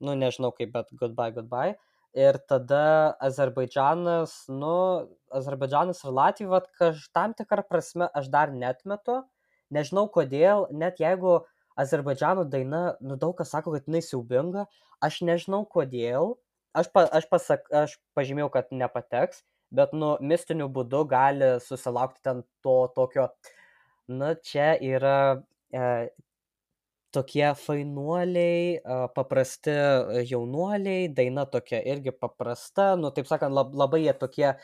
nu nežinau kaip, bet goodbye, goodbye. Ir tada Azerbaidžanas, nu, Azerbaidžanas ir Latvija, vat, kaž, tam tikrą prasme aš dar netmetu. Nežinau kodėl, net jeigu Azerbaidžano daina, nu daug kas sako, kad jinai siaubinga, aš nežinau kodėl, aš, pa, aš, pasak, aš pažymėjau, kad nepateks, bet nu mistiniu būdu gali susilaukti ten to tokio, nu čia yra e, tokie fainuoliai, e, paprasti jaunuoliai, daina tokia irgi paprasta, nu taip sakant, lab, labai jie tokie e,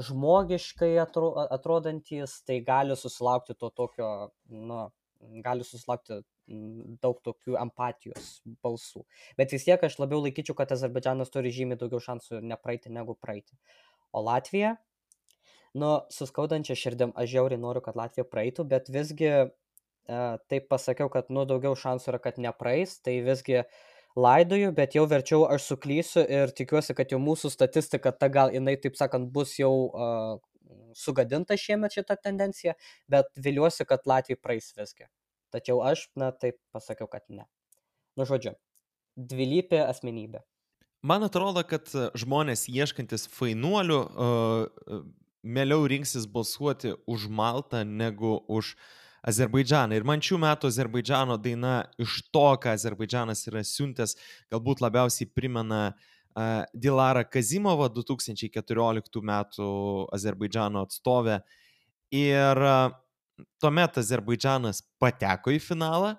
žmogiškai atro, atrodantis, tai gali susilaukti to tokio, nu, gali susilaukti daug tokių empatijos balsų. Bet vis tiek aš labiau laikyčiau, kad Azerbaidžanas turi žymiai daugiau šansų nepraeiti negu praeiti. O Latvija, nu, suskaudančia širdim, aš žiauriai noriu, kad Latvija praeitų, bet visgi e, taip pasakiau, kad nu daugiau šansų yra, kad nepraeis, tai visgi laidoju, bet jau verčiau aš suklysiu ir tikiuosi, kad jau mūsų statistika, ta gal jinai, taip sakant, bus jau uh, sugadinta šiemet šitą tendenciją, bet viliuosi, kad Latvija praeis visgi. Tačiau aš, na, taip pasakiau, kad ne. Nu, žodžiu, dvilypė asmenybė. Man atrodo, kad žmonės ieškantis fainuolių uh, mieliau rinksis balsuoti už Maltą negu už Azerbaidžaną. Ir man šių metų Azerbaidžano daina iš to, ką Azerbaidžanas yra siuntęs, galbūt labiausiai primena uh, Dilarą Kazimovą, du tūkstančiai keturioliktų metų Azerbaidžano atstovę. Ir uh, tuomet Azerbaidžanas pateko į finalą,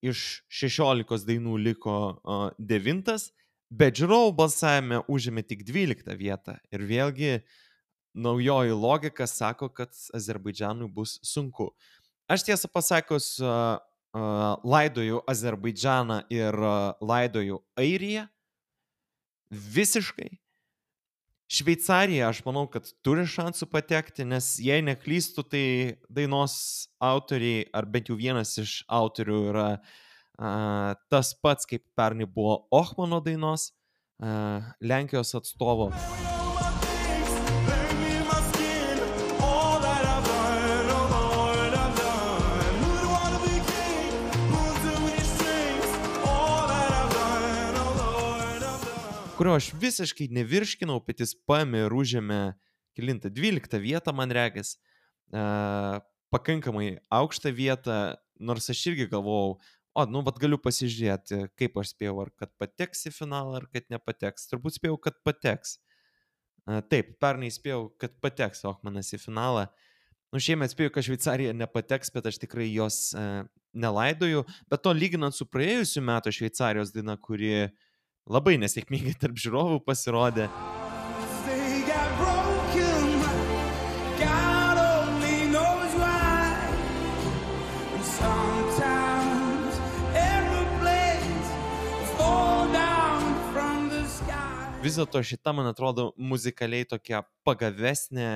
iš šešiolikos dainų liko uh, devintas, bet žiūrovų balsavime užėmė tik dvyliktą vietą. Ir vėlgi naujoji logika sako, kad Azerbaidžanui bus sunku. Aš tiesą pasakius, uh, uh, laidoju Azerbaidžaną ir uh, laidoju Airiją visiškai. Šveicarija, aš manau, kad turi šansų patekti, nes jei neklystu, tai dainos autoriai, ar bent jau vienas iš autorių yra uh, tas pats, kaip pernai buvo Ochmano dainos, uh, Lenkijos atstovo. Kurio aš visiškai nevirškinau, bet jis paėmė ir užėmė kelintą dvyliktą vietą, man regis, e, pakankamai aukštą vietą, nors aš irgi galvojau, o, nu, vat galiu pasižiūrėti, kaip aš spėjau, ar kad pateks į finalą, ar kad nepateks. Turbūt spėjau, kad pateks. E, taip, pernai spėjau, kad pateks Ochmanas į finalą. Nu, šiemet spėjau, kad Šveicarija nepateks, bet aš tikrai jos e, nelaidoju. Bet to lyginant su praėjusiu metu Šveicarijos daina, kuri labai nesėkmingai tarp žiūrovų pasirodė. Vis dėlto šita, man atrodo, muzikaliai tokia pagavesnė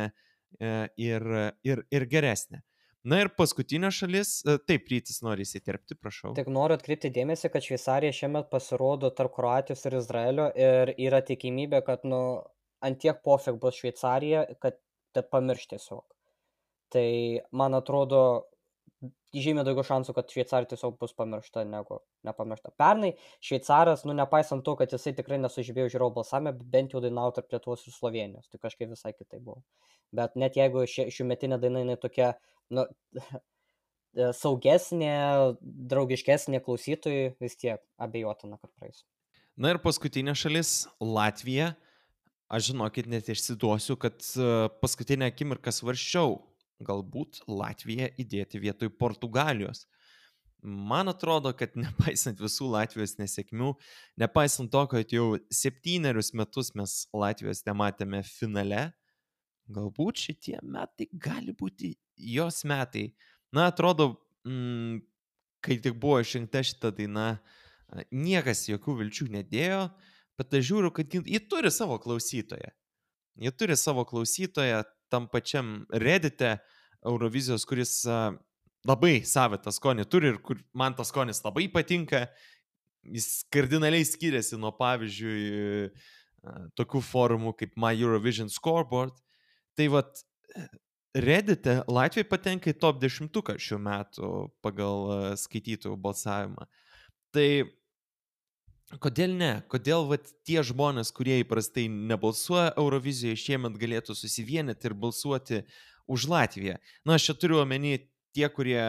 ir, ir, ir geresnė. Na ir paskutinė šalis, taip, Rytis nori įsiterpti, prašau. Tik noriu atkreipti dėmesį, kad Šveicarija šiemet pasirodo tarp Kroatijos ir Izraelio ir yra tikimybė, kad nu, ant tiek pofik bus Šveicarija, kad te pamirš tiesiog. Tai man atrodo, žymiai daugiau šansų, kad Šveicarija tiesiog bus pamiršta negu nepamiršta. Pernai Šveicaras, nu nepaisant to, kad jisai tikrai nesužibėjo žiūrovų balsavime, bent jau dainavo tarp Lietuvos ir Slovenijos, tai kažkaip visai kitai buvo. Bet net jeigu ši, šiųmetinė daina jinai tokia, nu, e, saugesnė, draugiškesnė klausytojui, vis tiek abejotina, kad praeis. Na ir paskutinė šalis - Latvija. Aš žinokit, net išsiduosiu, kad e, paskutinę akimirką svarsčiau, galbūt Latviją įdėti vietoj Portugalijos. Man atrodo, kad nepaisant visų Latvijos nesėkmių, nepaisant to, kad jau septynerius metus mes Latvijos nematėme finale, galbūt šitie metai gali būti jos metai. Na, atrodo, mm, kai tik buvo išrinkta šita daina, a, niekas jokių vilčių nedėjo, bet aš žiūriu, kad ji, ji turi savo klausytoją. Ji turi savo klausytoją tam pačiam Reddite Eurovizijos, kuris a, labai savitą skonį turi ir kur man tas skonis labai patinka. Jis kardinaliai skiriasi nuo, pavyzdžiui, a, tokių forumų kaip My Eurovision Scoreboard. Tai vat Reddite Latvija patenka į top dešimtuką šių metų pagal a, skaitytojų balsavimą. Tai kodėl ne? Kodėl vat tie žmonės, kurie įprastai nebalsuoja Eurovizijoje, šiemet galėtų susivienyti ir balsuoti už Latviją? Na, aš čia turiu omeny tie, kurie,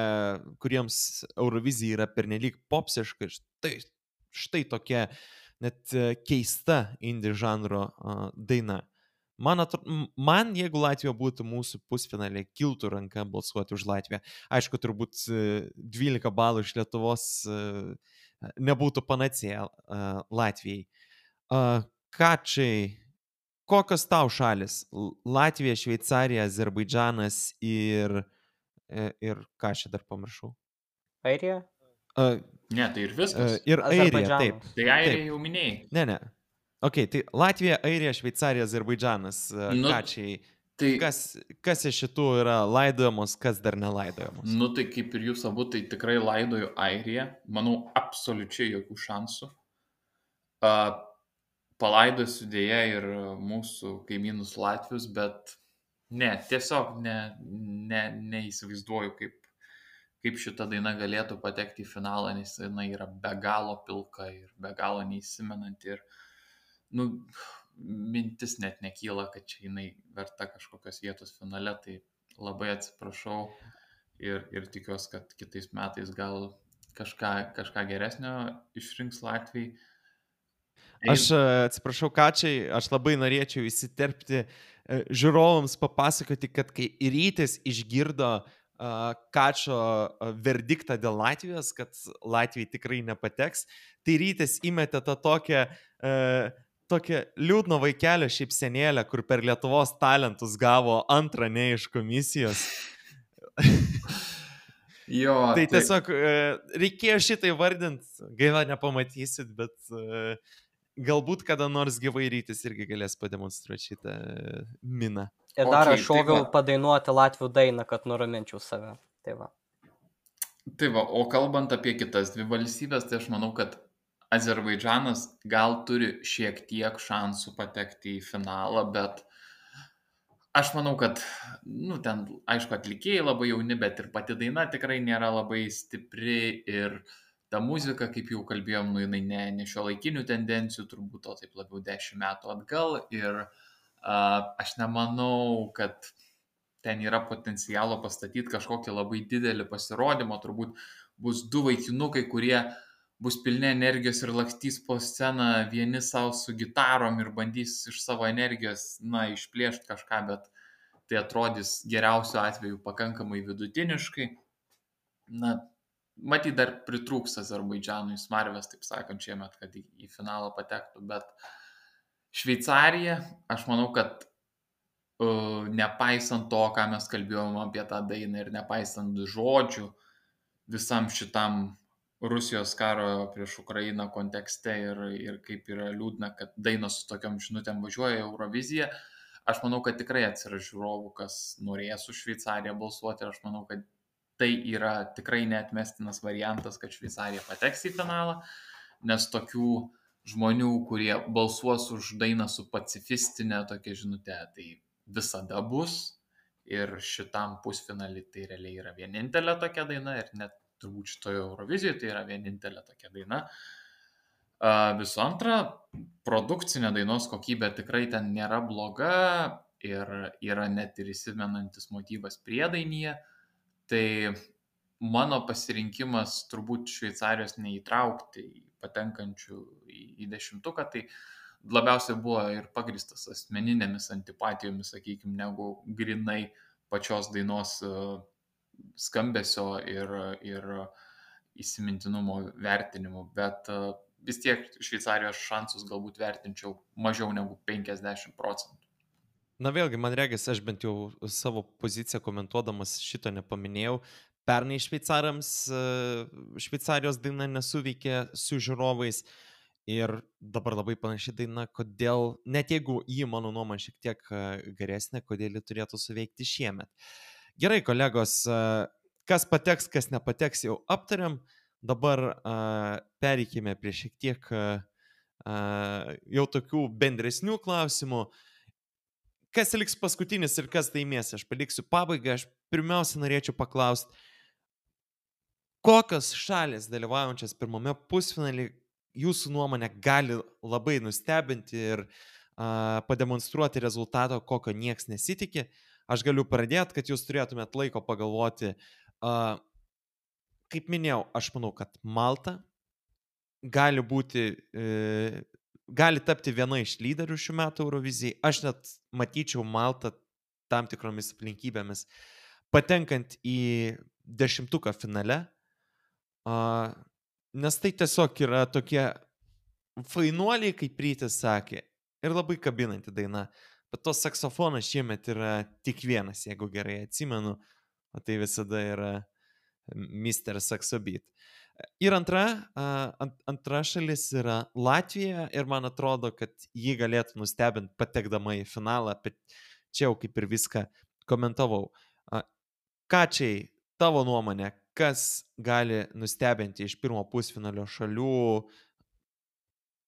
kuriems Eurovizija yra pernelyg popsiška. Štai, štai tokia net e, keista indie žanro a, daina. Man, atro, m- man, jeigu Latvija būtų mūsų pusfinalė, kiltų ranka balsuoti už Latviją. Aišku, turbūt e, dvylika balų iš Lietuvos e, nebūtų panacėja e, Latvijai. A, Kačiai, kokios tau šalis? L- Latvija, Šveicarija, Azerbaidžanas ir, e, ir ką aš čia dar pamiršau? Airija? A, Ne, tai ir e, viskas. ir Airija, taip. Azerbaidžanas. Tai Airija Taip. jau minėjai. Ne, ne. Ok, tai Latvija, Airija, Šveicarija, Azerbaidžanas. e, Nu, Kačiai, Tai, kas, kas iš šitų yra laidojamos, kas dar nelaidojamos? nu, tai kaip ir jūs abu, tai tikrai laidoju Airiją. Manau, absoliučiai jokių šansų. A, palaidosiu dėja ir mūsų kaimynus Latvius, bet ne, tiesiog ne, ne, neįsivaizduoju, kaip, kaip šita daina galėtų patekti į finalą, nes jinai yra be galo pilka ir be galo neįsimenanti. Ir, nu, mintis net nekyla, kad čia jinai verta kažkokios vietos finale, tai labai atsiprašau ir, ir tikiuosi, kad kitais metais gal kažką, kažką geresnio išrinks Latvijai. Aš e, atsiprašau, Kačiai, aš labai norėčiau įsiterpti, e, žiūrovams papasakoti, kad kai Rytis išgirdo e, Kačio e, verdiktą dėl Latvijos, kad Latvijai tikrai nepateks, tai Rytis įmetė tą tokią, e, tokią liūdno vaikelio šypsenėlę, kur per Lietuvos talentus gavo antrą ne iš komisijos. Jo, Tai tiesiog e, reikėjo šitai vardinti, gaila nepamatysit, bet e, galbūt kada nors gyvai Rytis irgi galės pademonstruoti šitą e, miną. Ir dar Okei, aš tai šoviau va. padainuoti latvių dainą, kad nuraminčiau save. Tai va. Tai va, o kalbant apie kitas dvi valstybės, tai aš manau, kad Azerbaidžanas gal turi šiek tiek šansų patekti į finalą, bet aš manau, kad, nu, ten, aišku, atlikėjai labai jauni, bet ir pati daina tikrai nėra labai stipri ir ta muzika, kaip jau kalbėjom, nu, jinai ne, ne šio laikinių tendencijų, turbūt o taip labiau dešimt metų atgal ir a, aš nemanau, kad ten yra potencialo pastatyti kažkokį labai didelį pasirodymą, turbūt bus du vaikinukai, kurie bus pilni energijos ir lakstys po sceną vieni savo su gitarom ir bandys iš savo energijos, na, išplėšti kažką, bet tai atrodys geriausiu atveju pakankamai vidutiniškai. Na, matyt, dar pritrūks Azerbaidžanui smarvės, taip sakant, šiemet, kad į, į finalą patektų, bet Šveicarija, aš manau, kad uh, nepaisant to, ką mes kalbėjome apie tą dainą ir nepaisant žodžių visam šitam Rusijos karo prieš Ukrainą kontekste ir, ir kaip yra liūdna, kad dainos su tokiam žinutėm važiuoja į Euroviziją, aš manau, kad tikrai atsiras žiūrovų, kas norės už Šveicariją balsuoti ir aš manau, kad tai yra tikrai neatmestinas variantas, kad Šveicarija pateks į finalą, nes tokių žmonių, kurie balsuos už dainą su pacifistinė tokia žinutė, tai visada bus ir šitam pusfinalį tai realiai yra vienintelė tokia daina ir net turbūt šitoje Eurovizijoje tai yra vienintelė tokia daina. Visų antra, produkcinė dainos kokybė tikrai ten nėra bloga ir yra net ir įsimenantis motyvas priedainyje. Tai mano pasirinkimas turbūt Šveicarijos neįtraukti į patenkančių į, į dešimtuką, tai labiausiai buvo ir pagristas asmeninėmis antipatijomis, sakykime, negu grinai pačios dainos e, skambesio ir, ir įsimintinumo vertinimu, bet e, vis tiek Šveicarijos šansus galbūt vertinčiau mažiau negu penkiasdešimt procentų. Na vėlgi, man regis, aš bent jau savo poziciją komentuodamas šito nepaminėjau. Pernai šveicarams e, Šveicarijos daina nesuveikė su žiūrovais ir dabar labai panaši daina, kodėl, net jeigu ji, mano nuomonė, šiek tiek e, geresnė, kodėl ji turėtų suveikti šiemet. Gerai, kolegos, e, kas pateks, kas nepateks, jau aptariam. Dabar e, pereikime prie šiek tiek e, e, jau tokių bendresnių klausimų. Kas liks paskutinis ir kas laimės, aš paliksiu pabaigą. Aš pirmiausia norėčiau paklausti, kokios šalis dalyvaujančias pirmame pusfinalį jūsų nuomonė gali labai nustebinti ir a, pademonstruoti rezultatą, kokio nieks nesitikė. Aš galiu pradėti, kad jūs turėtumėt laiko pagalvoti. A, kaip minėjau, aš manau, kad Malta gali būti... E, gali tapti viena iš lyderių šių metų Eurovizijai. Aš net matyčiau Maltą tam tikromis aplinkybėmis patenkant į dešimtuką finale, uh, nes tai tiesiog yra tokie fainuoliai, kaip Rytis sakė, ir labai kabinanti daina. Bet tos saksofonas šiemet yra tik vienas, jeigu gerai atsimenu, o tai visada yra mister Saxobeat. Ir antra, ant, antra šalis yra Latvija ir man atrodo, kad ji galėtų nustebinti patekdama į finalą, bet čia jau kaip ir viską komentavau. Kačiai, tavo nuomonė, kas gali nustebinti iš pirmo pusfinalio šalių,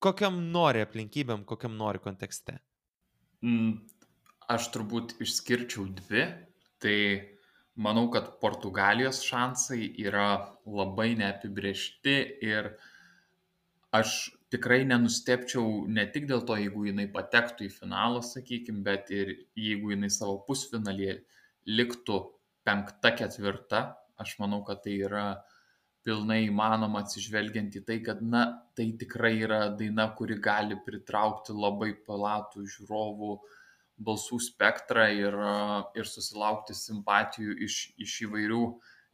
kokiam nori aplinkybėm, kokiam nori kontekste? Mm, aš turbūt išskirčiau dvi, tai manau, kad Portugalijos šansai yra labai neapibrėžti ir aš tikrai nenustebčiau ne tik dėl to, jeigu jinai patektų į finalą, sakykime, bet ir jeigu jinai savo pusfinalyje liktų penkta, ketvirta. Aš manau, kad tai yra pilnai įmanoma atsižvelgiant į tai, kad na, tai tikrai yra daina, kuri gali pritraukti labai platų žiūrovų balsų spektrą ir, ir susilaukti simpatijų iš, iš įvairių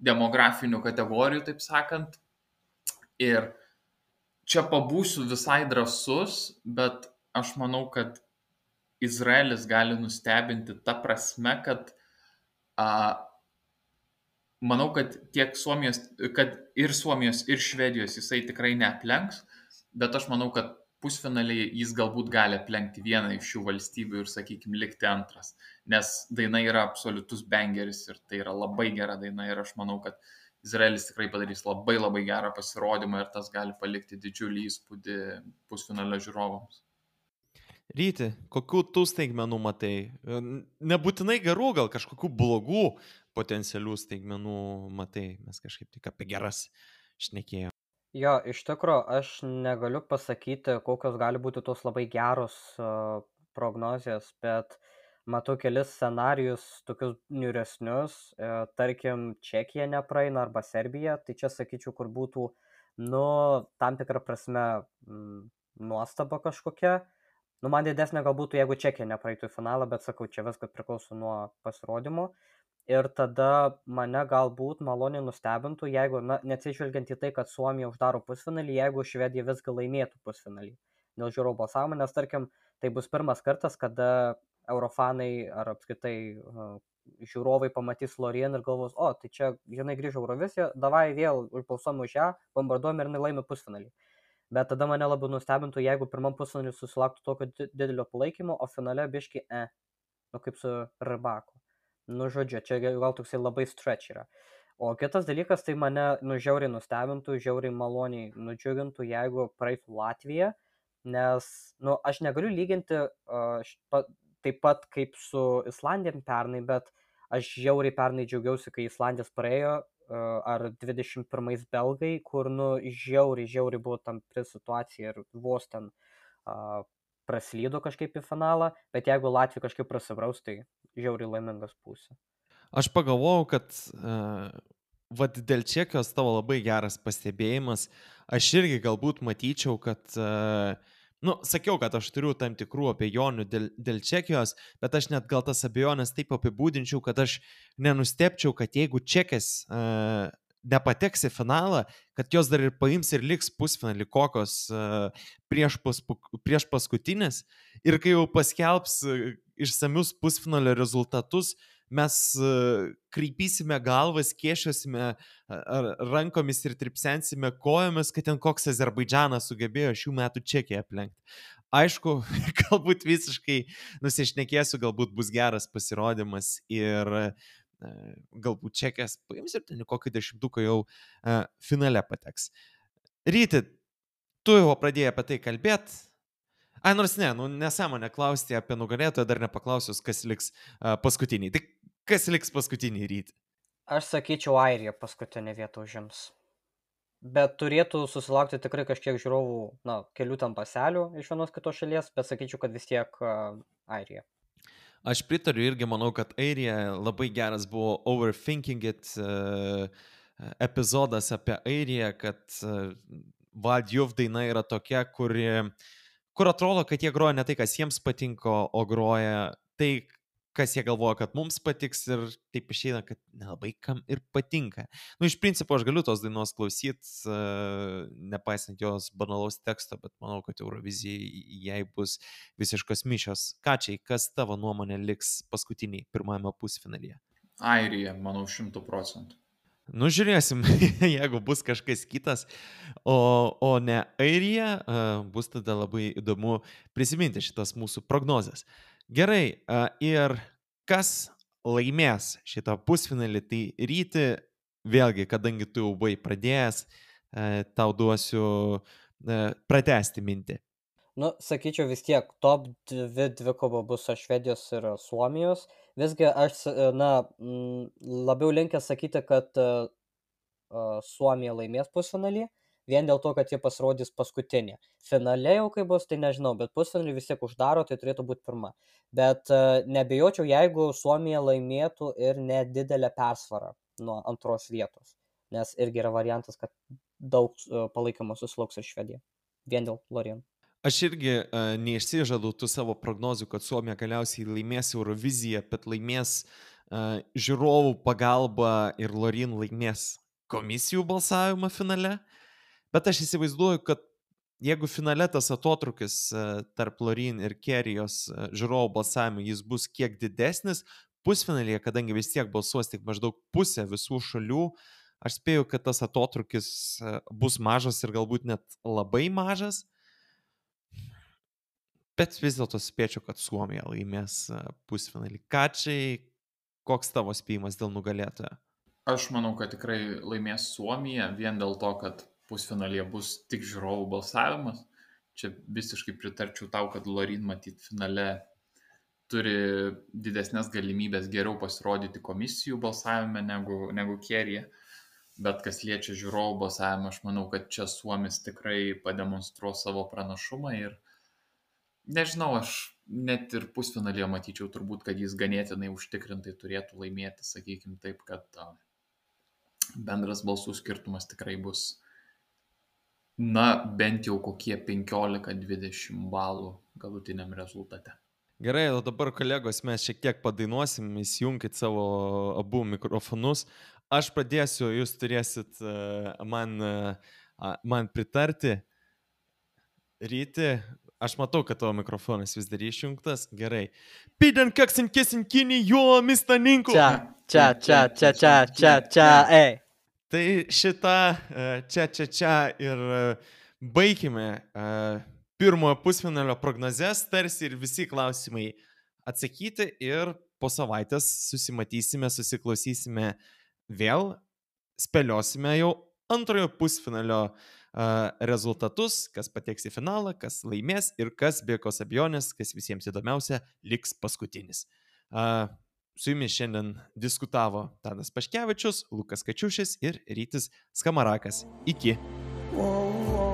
demografinių kategorijų, taip sakant. Ir čia pabūsiu visai drąsus, bet aš manau, kad Izraelis gali nustebinti ta prasme, kad a, manau, kad tiek Suomijos, kad ir Suomijos, ir Švedijos jisai tikrai neaplenks, bet aš manau, kad pusfinaliai jis galbūt gali aplenkti vieną iš šių valstybių ir, sakykime, likti antras. Nes daina yra absoliutus bangeris ir tai yra labai gera daina ir aš manau, kad Izraelis tikrai padarys labai labai gerą pasirodymą ir tas gali palikti didžiulį įspūdį pusfinalio žiūrovams. Ryti, kokių tų staigmenų matai? Nebūtinai gerų, gal kažkokių blogų potencialių staigmenų matai. Mes kažkaip tik apie geras šnekėjome. Jo, iš tikro, aš negaliu pasakyti, kokios gali būti tos labai geros uh, prognozijos, bet matau kelis scenarijus, tokius niūresnius, uh, tarkim, Čekija nepraeina arba Serbija, tai čia sakyčiau, kur būtų, nu, tam tikrą prasme mm, nuostaba kažkokia. Nu, man didesnė gal būtų, jeigu Čekija nepraeitų į finalą, bet sakau, čia viskas priklauso nuo pasirodymo. Ir tada mane galbūt maloniai nustebintų, jeigu, na, neatsižvelgiant į tai, kad Suomija uždaro pusfinalį, jeigu Švedija visgi laimėtų pusfinalį dėl žiūrovų balsavimo, nes, tarkim, tai bus pirmas kartas, kada eurofanai ar apskritai uh, žiūrovai pamatys Loreen ir galvos, o, tai čia, žinai, grįžo Euroviziją, davai vėl užbalsuom už ją, bombarduojam ir jinai laimi pusfinalį. Bet tada mane labai nustebintų, jeigu pirmam pusfinalį susilauktų tokio didelio palaikymo, o finale biški, e, nu kaip su Rybaku. Nu, žodžiu, čia gal toksai labai stretch yra. O kitas dalykas, tai mane nu, žiauriai nustebintų, žiauriai maloniai nudžiugintų, jeigu praeitų Latvija, nes, nu, aš negaliu lyginti uh, špa, taip pat kaip su Islandija pernai, bet aš žiauriai pernai džiaugiausi, kai Islandijas praėjo, uh, ar dvidešimt pirmais belgai, kur, nu, žiauriai, žiauriai buvo tam pri situacija ir vos ten uh, praslydo kažkaip į finalą, bet jeigu Latvija kažkaip prasibraus, tai žiauriai laimingas pusė. Aš pagalvojau, kad uh, vat dėl Čekijos tavo labai geras pastebėjimas. Aš irgi galbūt matyčiau, kad, uh, nu, sakiau, kad aš turiu tam tikrų abejonių dėl, dėl Čekijos, bet aš net gal tas abejonės taip apibūdinčiau, kad aš nenustepčiau, kad jeigu Čekės uh, nepateks į finalą, kad jos dar ir paims ir liks pusfinalį kokios uh, prieš, paspu, prieš paskutinės. Ir kai jau paskelbs uh, išsamius pusfinalio rezultatus, mes uh, kreipysime galvas, kėšiosime uh, rankomis ir tripsensime kojomis, kad ten koks Azerbaidžanas sugebėjo šių metų Čekiją aplenkti. Aišku, galbūt visiškai nusišnekėsiu, galbūt bus geras pasirodymas ir uh, galbūt Čekijas paims ir ten kokį dešimtuką jau uh, finale pateks. Ryti, tu jau pradėjai apie tai kalbėti. Ai, nors ne, nu nesąmonė klausti apie nugalėtoją, dar nepaklausius, kas liks uh, paskutiniai. Tai kas liks paskutinį Ryti? Aš sakyčiau, Airija paskutinę vietą užims. Bet turėtų susilaukti tikrai kažkiek žiūrovų, na, kelių tam paselių iš vienos kitos šalies, bet sakyčiau, kad vis tiek uh, Airija. Aš pritariu irgi, manau, kad Airija labai geras buvo Overthinking It uh, epizodas apie Airiją, kad uh, Valdjuf daina yra tokia, kuri, kur atrodo, kad jie groja ne tai, kas jiems patinka, o groja tai, kas jie galvoja, kad mums patiks ir taip išeina, kad nelabai kam ir patinka. Nu, iš principo, aš galiu tos dainos klausyti, uh, nepaisant jos banalaus teksto, bet manau, kad Eurovizijai jai bus visiškos mišios. Kačiai, kas tavo nuomonė liks paskutiniai pirmajame pusfinalyje? Airija, manau, šimtų procentų. Nu, žiūrėsim, jeigu bus kažkas kitas, o, o ne Airija, uh, bus tada labai įdomu prisiminti šitas mūsų prognozes. Gerai, uh, ir kas laimės šitą pusfinalį, tai Ryti, vėlgi, kadangi tu jau buvai pradėjęs, uh, tau duosiu uh, pratęsti mintį. Nu, sakyčiau vis tiek, top dvi dvikova bus Švedijos ir Suomijos. Visgi aš, na, labiau linkęs sakyti, kad uh, Suomija laimės pusfinalį, vien dėl to, kad jie pasirodys paskutinė. Finale jau kai bus, tai nežinau, bet pusfinalį vis tiek uždaro, tai turėtų būti pirma. Bet uh, nebijočiau, jeigu Suomija laimėtų ir nedidelę persvarą nuo antros vietos, nes irgi yra variantas, kad daug uh, palaikymo susilauks ir Švedija, vien dėl Loreen. Aš irgi uh, neišsižadu tų savo prognozių, kad Suomija galiausiai laimės Euroviziją, bet laimės uh, žiūrovų pagalbą ir Loreen laimės komisijų balsavimą finale. Bet aš įsivaizduoju, kad jeigu finale tas atotrukis uh, tarp Loreen ir Kerijos uh, žiūrovų balsavimų jis bus kiek didesnis, pusfinalyje, kadangi vis tiek balsuos tik maždaug pusė visų šalių, aš spėju, kad tas atotrukis uh, bus mažas ir galbūt net labai mažas. Bet vis dėlto spėčiau, kad Suomija laimės pusfinalį. Kačiai, koks tavo spėjimas dėl nugalėtojo? Aš manau, kad tikrai laimės Suomija, vien dėl to, kad pusfinalyje bus tik žiūrovų balsavimas. Čia visiškai pritarčiau tau, kad Loreen matyt finale turi didesnės galimybės geriau pasirodyti komisijų balsavime negu, negu Kerija. Bet kas liečia žiūrovų balsavimą, aš manau, kad čia Suomis tikrai pademonstruos savo pranašumą ir nežinau, aš net ir pusfinalyje matyčiau turbūt, kad jis ganėtinai užtikrintai turėtų laimėti, sakykim taip, kad uh, bendras balsų skirtumas tikrai bus, na, bent jau kokie penkiolika dvidešimt balų galutiniam rezultate. Gerai, o dabar, kolegos, mes šiek tiek padainuosim, įsijunkit savo abu mikrofonus. Aš pradėsiu, jūs turėsit uh, man, uh, man pritarti. Ryti, aš matau, kad tavo mikrofonas vis dar išjungtas. Gerai. Piden kaksin kesin kini jo mistaninku. Čia, čia, čia, čia, čia, čia, čia, ei. Tai šitą čia, čia, čia ir baigime pirmojo pusfinalio prognozes, tarsi ir visi klausimai atsakyti ir po savaitės susimatysime, susiklausysime vėl, spėliosime jau antrojo pusfinalio rezultatus, kas pateks į finalą, kas laimės ir kas be jokios abejonės, kas visiems įdomiausia, liks paskutinis. Su jumis šiandien diskutavo Tadas Paškevičius, Lukas Kačiušis ir Rytis Skamarakas. Iki. Whoa, whoa.